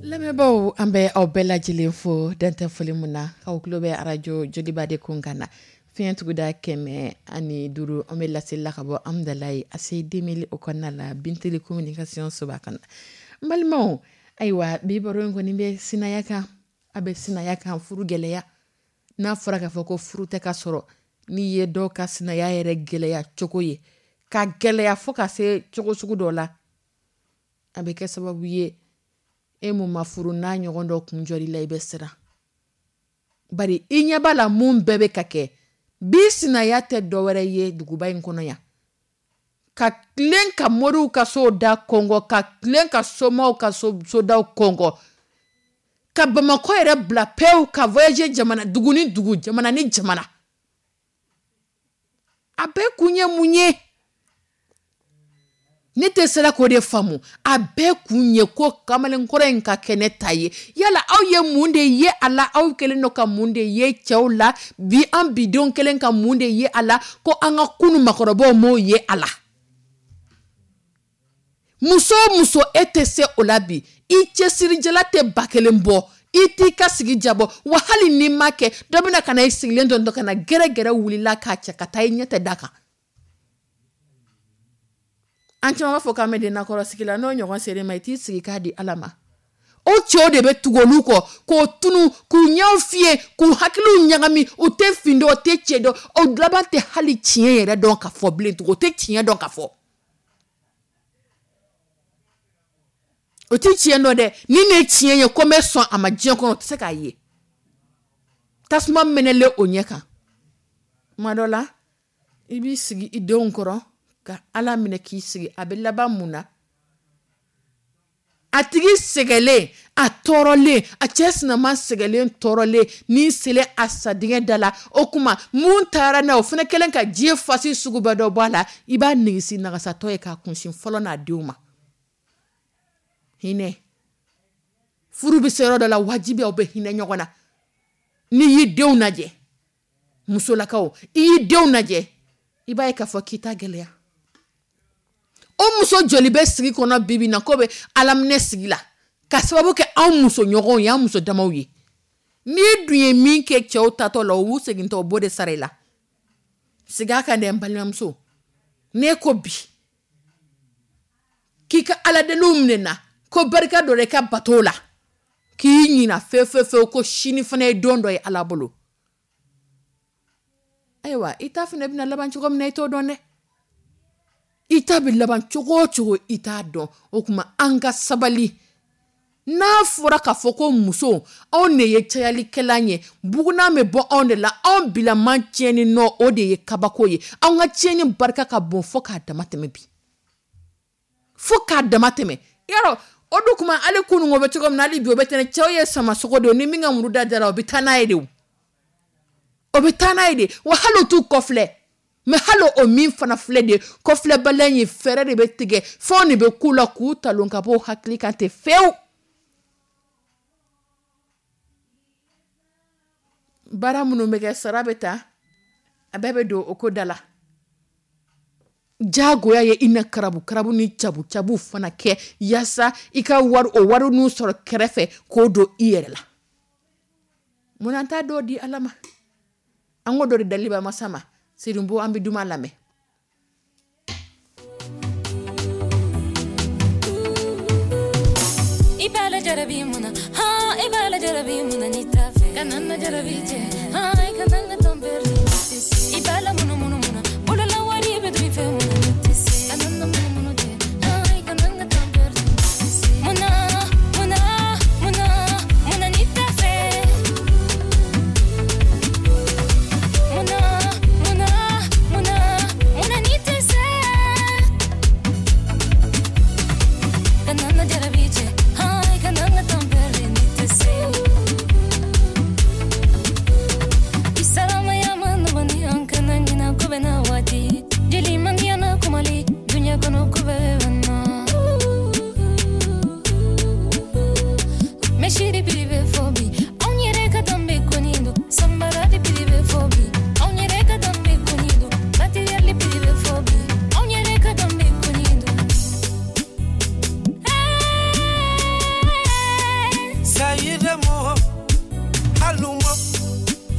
Lamɛnbaaw, an bɛ aw bɛɛ lajɛlen fo dantɛ foli min na k'aw tulo bɛ arajo Joliba de kun kan na fiɲɛ tuguda 105, an bɛ laseli la ka bɔ Amudalayi ACI 2000 o kɔnɔna la Binteli communication soba kɔnɔ. N balimaw, ayiwa bi baro in kɔni bɛ sinaya kan, a bɛ sinaya kan furu gɛlɛya. N'a fɔra k'a fɔ ko furu tɛ ka sɔrɔ, n'i ye dɔw ka sinaya yɛrɛ gɛlɛya cogo ye, ka gɛlɛya fo ka se cogo sugu dɔ la, a bɛ kɛ sababu ye e mun ma furu n'a ɲɔgɔn dɔ kun jɔr'i la, i bɛ siran. Bari i ɲɛ b'a la mun bɛɛ bɛ ka kɛ bi, sinaya tɛ dɔwɛrɛ ye duguba in kɔnɔ yan. Ka tilen ka moriw ka sow da kɔngɔ, ka tilen ka somaw ka sodaw kɔngɔ, ka Bamakɔ yɛrɛ bila pewu ka voyager jamana dugu ni dugu, jamana ni jamana. A bɛɛ kun ye mun ye? Ne tɛ sera k'o de faamu. A bɛɛ kun ye ko kamalenkɔrɔ in ka kɛ ne ta ye. Yala aw ye mun de ye a la? Aw kɛlen don ka mun de ye cɛw la bi? An bidenw kɛlen ka mun de ye a la ko an ka kunun makɔrɔbaw m'o ye a la? Muso o muso, e tɛ se o la bi, i cɛsirijala tɛ 1000 bɔ, i t'i ka sigi jabɔ, wa hali n'i ma kɛ, dɔ bɛna ka na i sigilen dɔn ka na gɛrɛgɛrɛ wulila k'a cɛ ka taa i ɲɛ tɛ da kan. An caman b'a fɔ k'an bɛ den nakɔrɔsigi la, n'o ɲɔgɔn ser'i ma, i t'i sigi k'a di Ala ma. O cɛw de bɛ tugu olu kɔ k'o tunu, k'u ɲɛw fiyɛ, k'u hakiliw ɲagami, u tɛ fin dɔn, u tɛ cɛ dɔn, o laban tɛ hali tiɲɛ yɛrɛ dɔn ka fɔ bilen tugun, o tɛ tiɲɛ dɔn ka fɔ. O tɛ tiɲɛ dɔn dɛ, ni ne ye tiɲɛ ye ko n bɛ sɔn a ma diɲɛ kɔnɔ, o tɛ se k'a ye. Tasuma mɛnɛlen o ɲɛ kan. Tuma dɔ la, i b'i sigi i denw kɔrɔ ka Ala minɛ k'i sigi, a bɛ laban mun na? A tigi sɛgɛlen, a tɔɔrɔlen, a cɛ sinama sɛgɛlen tɔɔrɔlen, n'i selen a sadingɛ da la, o kuma mun taara n'a ye, o fana kɛlen ka diɲɛ fasi sugu bɛɛ dɔ bɔ a la, i b'a nigisi nagasatɔ ye k'a kunsin fɔlɔ n'a denw ma. Hinɛ. Furu bɛ se yɔrɔ dɔ la, wajibi aw bɛ hinɛ ɲɔgɔn na. N'i y'i denw lajɛ, musolakaw, i y'i denw lajɛ, i b'a ye k'a fɔ k'i ta gɛlɛya. O muso joli bɛ sigi kɔnɔ bi bi in na k'o bɛ alaminɛ sigi la ka sababu kɛ anw muso ɲɔgɔnw ye, an muso damaw ye. N'i dun ye min kɛ cɛw tatɔ la, o b'u segintɔ, o b'o de sara i la. Segin a kan dɛ, n balimamuso. N'e ko bi k'i ka aladeliw minɛ na, ko barika dɔ i ka bato la, k'i ɲina fewu fewu fewu ko sini fana ye don dɔ ye Ala bolo. Ayiwa, i ta fana bɛna laban cogo min na, i t'o dɔn dɛ. I ta bɛ laban cogo o cogo, i t'a dɔn. O tuma an ka sabali. N'a fɔra k'a fɔ ko muso, anw de ye cayalikɛlan ye, bugunan bɛ bɔ anw de la, anw bilaman tiɲɛni nɔ, o de ye kabako ye. Anw ka tiɲɛni barika ka bon fo k'a dama tɛmɛ bi. Fo k'a dama tɛmɛ. Yarɔ, o dun kuma hali kunun o bɛ cogo min na, hali bi o bɛ tɛnɛ. Cɛw ye samasogo de ye, ni min ka muru da dara, o bɛ taa n'a ye de o. O bɛ taa n'a ye de. Wa hali o t'u kɔfilɛ. Mais hali o min fana filɛ de, kɔfilɛbaliya in fɛɛrɛ de bɛ tigɛ, fɛnw de bɛ k'u la k'u talon ka bɔ u hakili kan ten fewu. Baara minnu bɛ kɛ, sara bɛ ta, a bɛɛ bɛ don o ko da la. Jagoya ye i na karabu karabu ni cabu cabu fana kɛ yaasa i ka wari, o wari n'u sɔrɔ kɛrɛfɛ k'o don i yɛrɛ la. Munna an t'a dɔw di Ala ma? An ko dɔ di daliba masa ma. Seydou, an bɛ duman lamɛn. I b'a la jarabi mun na? Han, i b'a la jarabi mun na ni t'a fɛ? Kana na jarabi cɛ. Han, i kana n ka temps perdu. I b'a la munu munu mun na? Bolola wari bɛ dun i fɛ mun na ni tɛ se? Kana na munu munu cɛ. Han, i kana n ka temps perdu. Mun na, mun na, mun na, mun na ni t'a fɛ? Mun na, mun na, mun na, mun na ni tɛ se? Kana na jarabi cɛ. Han, i kana n ka temps perdu ni tɛ se. I salamaya ma nɔgɔn ni an kana ɲina ko bɛ na waati. Jeli mandiya na kumali, duɲa kɔnɔ ko bɛɛ bɛ na. Mesiri biri bɛ fɔ bi, anw yɛrɛ ka danbe kɔni don. Samara de biri bɛ fɔ bi, anw yɛrɛ ka danbe kɔni don. Matériel biri bɛ fɔ bi, anw yɛrɛ ka danbe kɔni don. Sayidamo, halumo,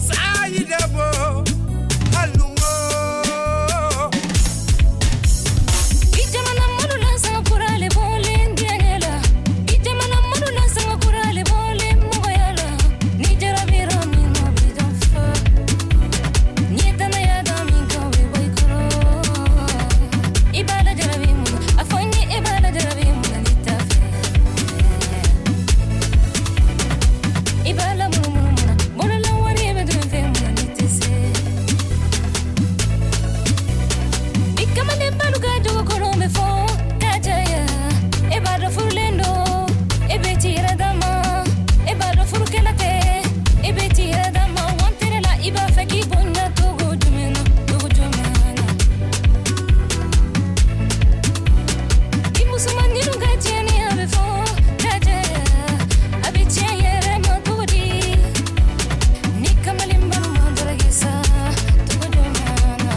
sayidamo, halumo. I jamana malo la sanga kura le bɔlen diɲɛ la. I jamana malo la sanga kura le bɔlen mɔgɔya la. Ni jarabira min na, o bɛ janfa. N'i ye danaya da min kan, o bɛ bɔ i kɔrɔ. I b'a la jarabi mun na? A fɔ n ye, e b'a la jarabi mun na ni t'a fɛ? I b'a la munumunu mun na? Bolola wari bɛ dun i fɛ mun na ni tɛ se? I kamalen balu ka jogo kolon bɛ fɔ ka caya. E b'a dɔn furulen don, e bɛ t'i yɛrɛ dama. E b'a dɔn furukɛla tɛ, e bɛ t'i yɛrɛ dama. Wantere la, i b'a fɛ k'i bonya cogo jumɛn na, cogo jumɛn na? I musomanninw ka tiɲɛni a bɛ fɔ ka caya. A bɛ tiɲɛ yɛrɛ ma cogo di? Ni kamalen balu ma daraki sa, cogo jumɛn na?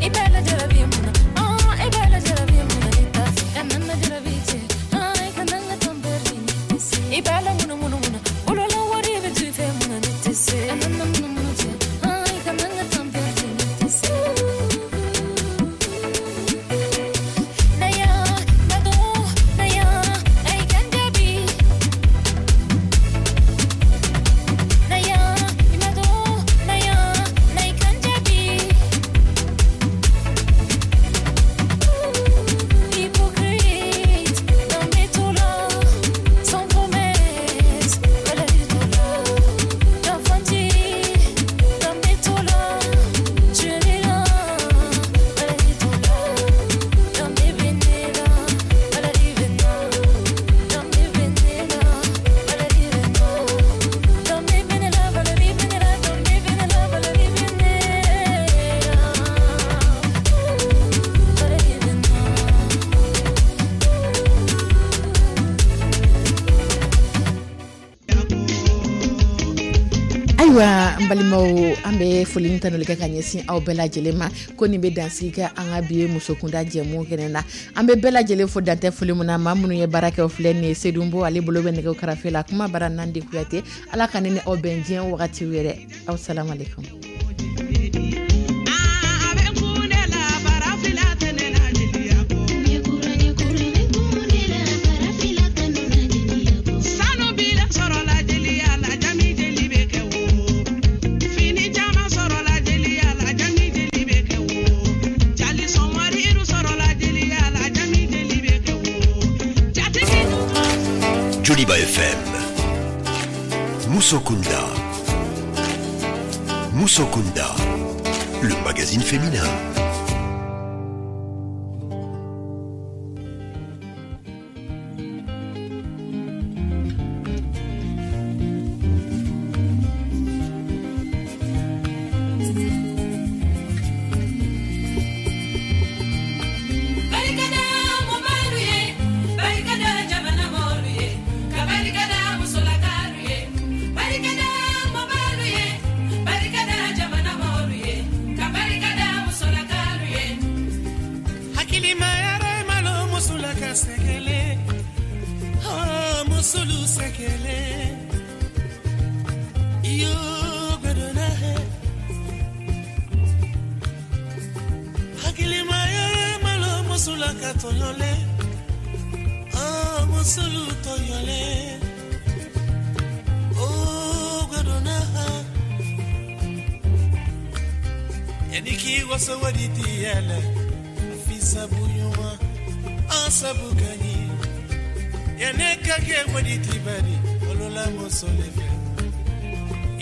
I b'a la jarabi mun na? Ah, i b'a la jarabi mun na ni t'a fɛ? Kana na jarabi cɛ. Ah, i kana n ka temps perdu ni tɛ se. I b'a la munu munu mun na? Bolola wari bɛ dun i fɛ mun na ni tɛ se? Kana na munu munu cɛ. Ah, i kana n ka temps perdu ni tɛ se. Naya, nado, naya, ay kan jaabi. Naya, imado, naya, nay kan jaabi. Hypocrite, dans mes tours sans promesse, Valérie Tola, d'infanti, dans mes tours tu es là, Valérie Tola, dans mes vénélas, Valérie Vénin, dans mes vénélas, Valérie Vénin, dans mes vénélas, Valérie Vénéla, dans mes vénélas, Valérie Vénéla, Valérie Vénin. Ayiwa, n balimaw, an bɛ foli ni tanuli kɛ ka ɲɛsin aw bɛɛ lajɛlen ma ko nin bɛ dansigi kɛ an ka bi ye musokunda jɛmu kɛnɛ na. An bɛ bɛɛ lajɛlen fo dantɛ foli min na. Maa minnu ye baara kɛ, o filɛ nin ye: Sedunbo, ale bolo bɛ nɛgɛw karafe la. Kuma bara Nandi Kuyate. Ala ka ne ni aw bɛn diɲɛ wagati wɛrɛ. Aw salamalekun. A bɛ kun de la farafila tɛ ne la jeliya ko. Sanu bila sɔrɔla jeliya la, jami jeli bɛ kɛ wo. Fini caman sɔrɔla jeliya la, jami jeli bɛ kɛ wo. Jali sɔnwariru sɔrɔla jeliya la, jami jeli bɛ kɛ wo. Jatigi. Joliba FM. Moussokunda. Moussokunda. Le magazine féminin. Barikada mɔbalu ye, barikada jamana mɔlu ye, ka barikada musolakalu. Gɛlɛn iyo gbɛdɔnna hɛ hakilimaya malo musola ka tɔɲɔlen oh musolu tɔɲɔlen oh gbɛdɔnna ha yanni k'i waso wari ti yɛlɛ fi sabu ɲuman an sabu ka ɲi yanni ka kɛ wari ti bari olola muso le fɛ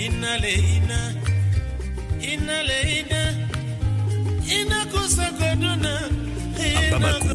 ina le ina ina le ina ina kusa koduna. À Bamako,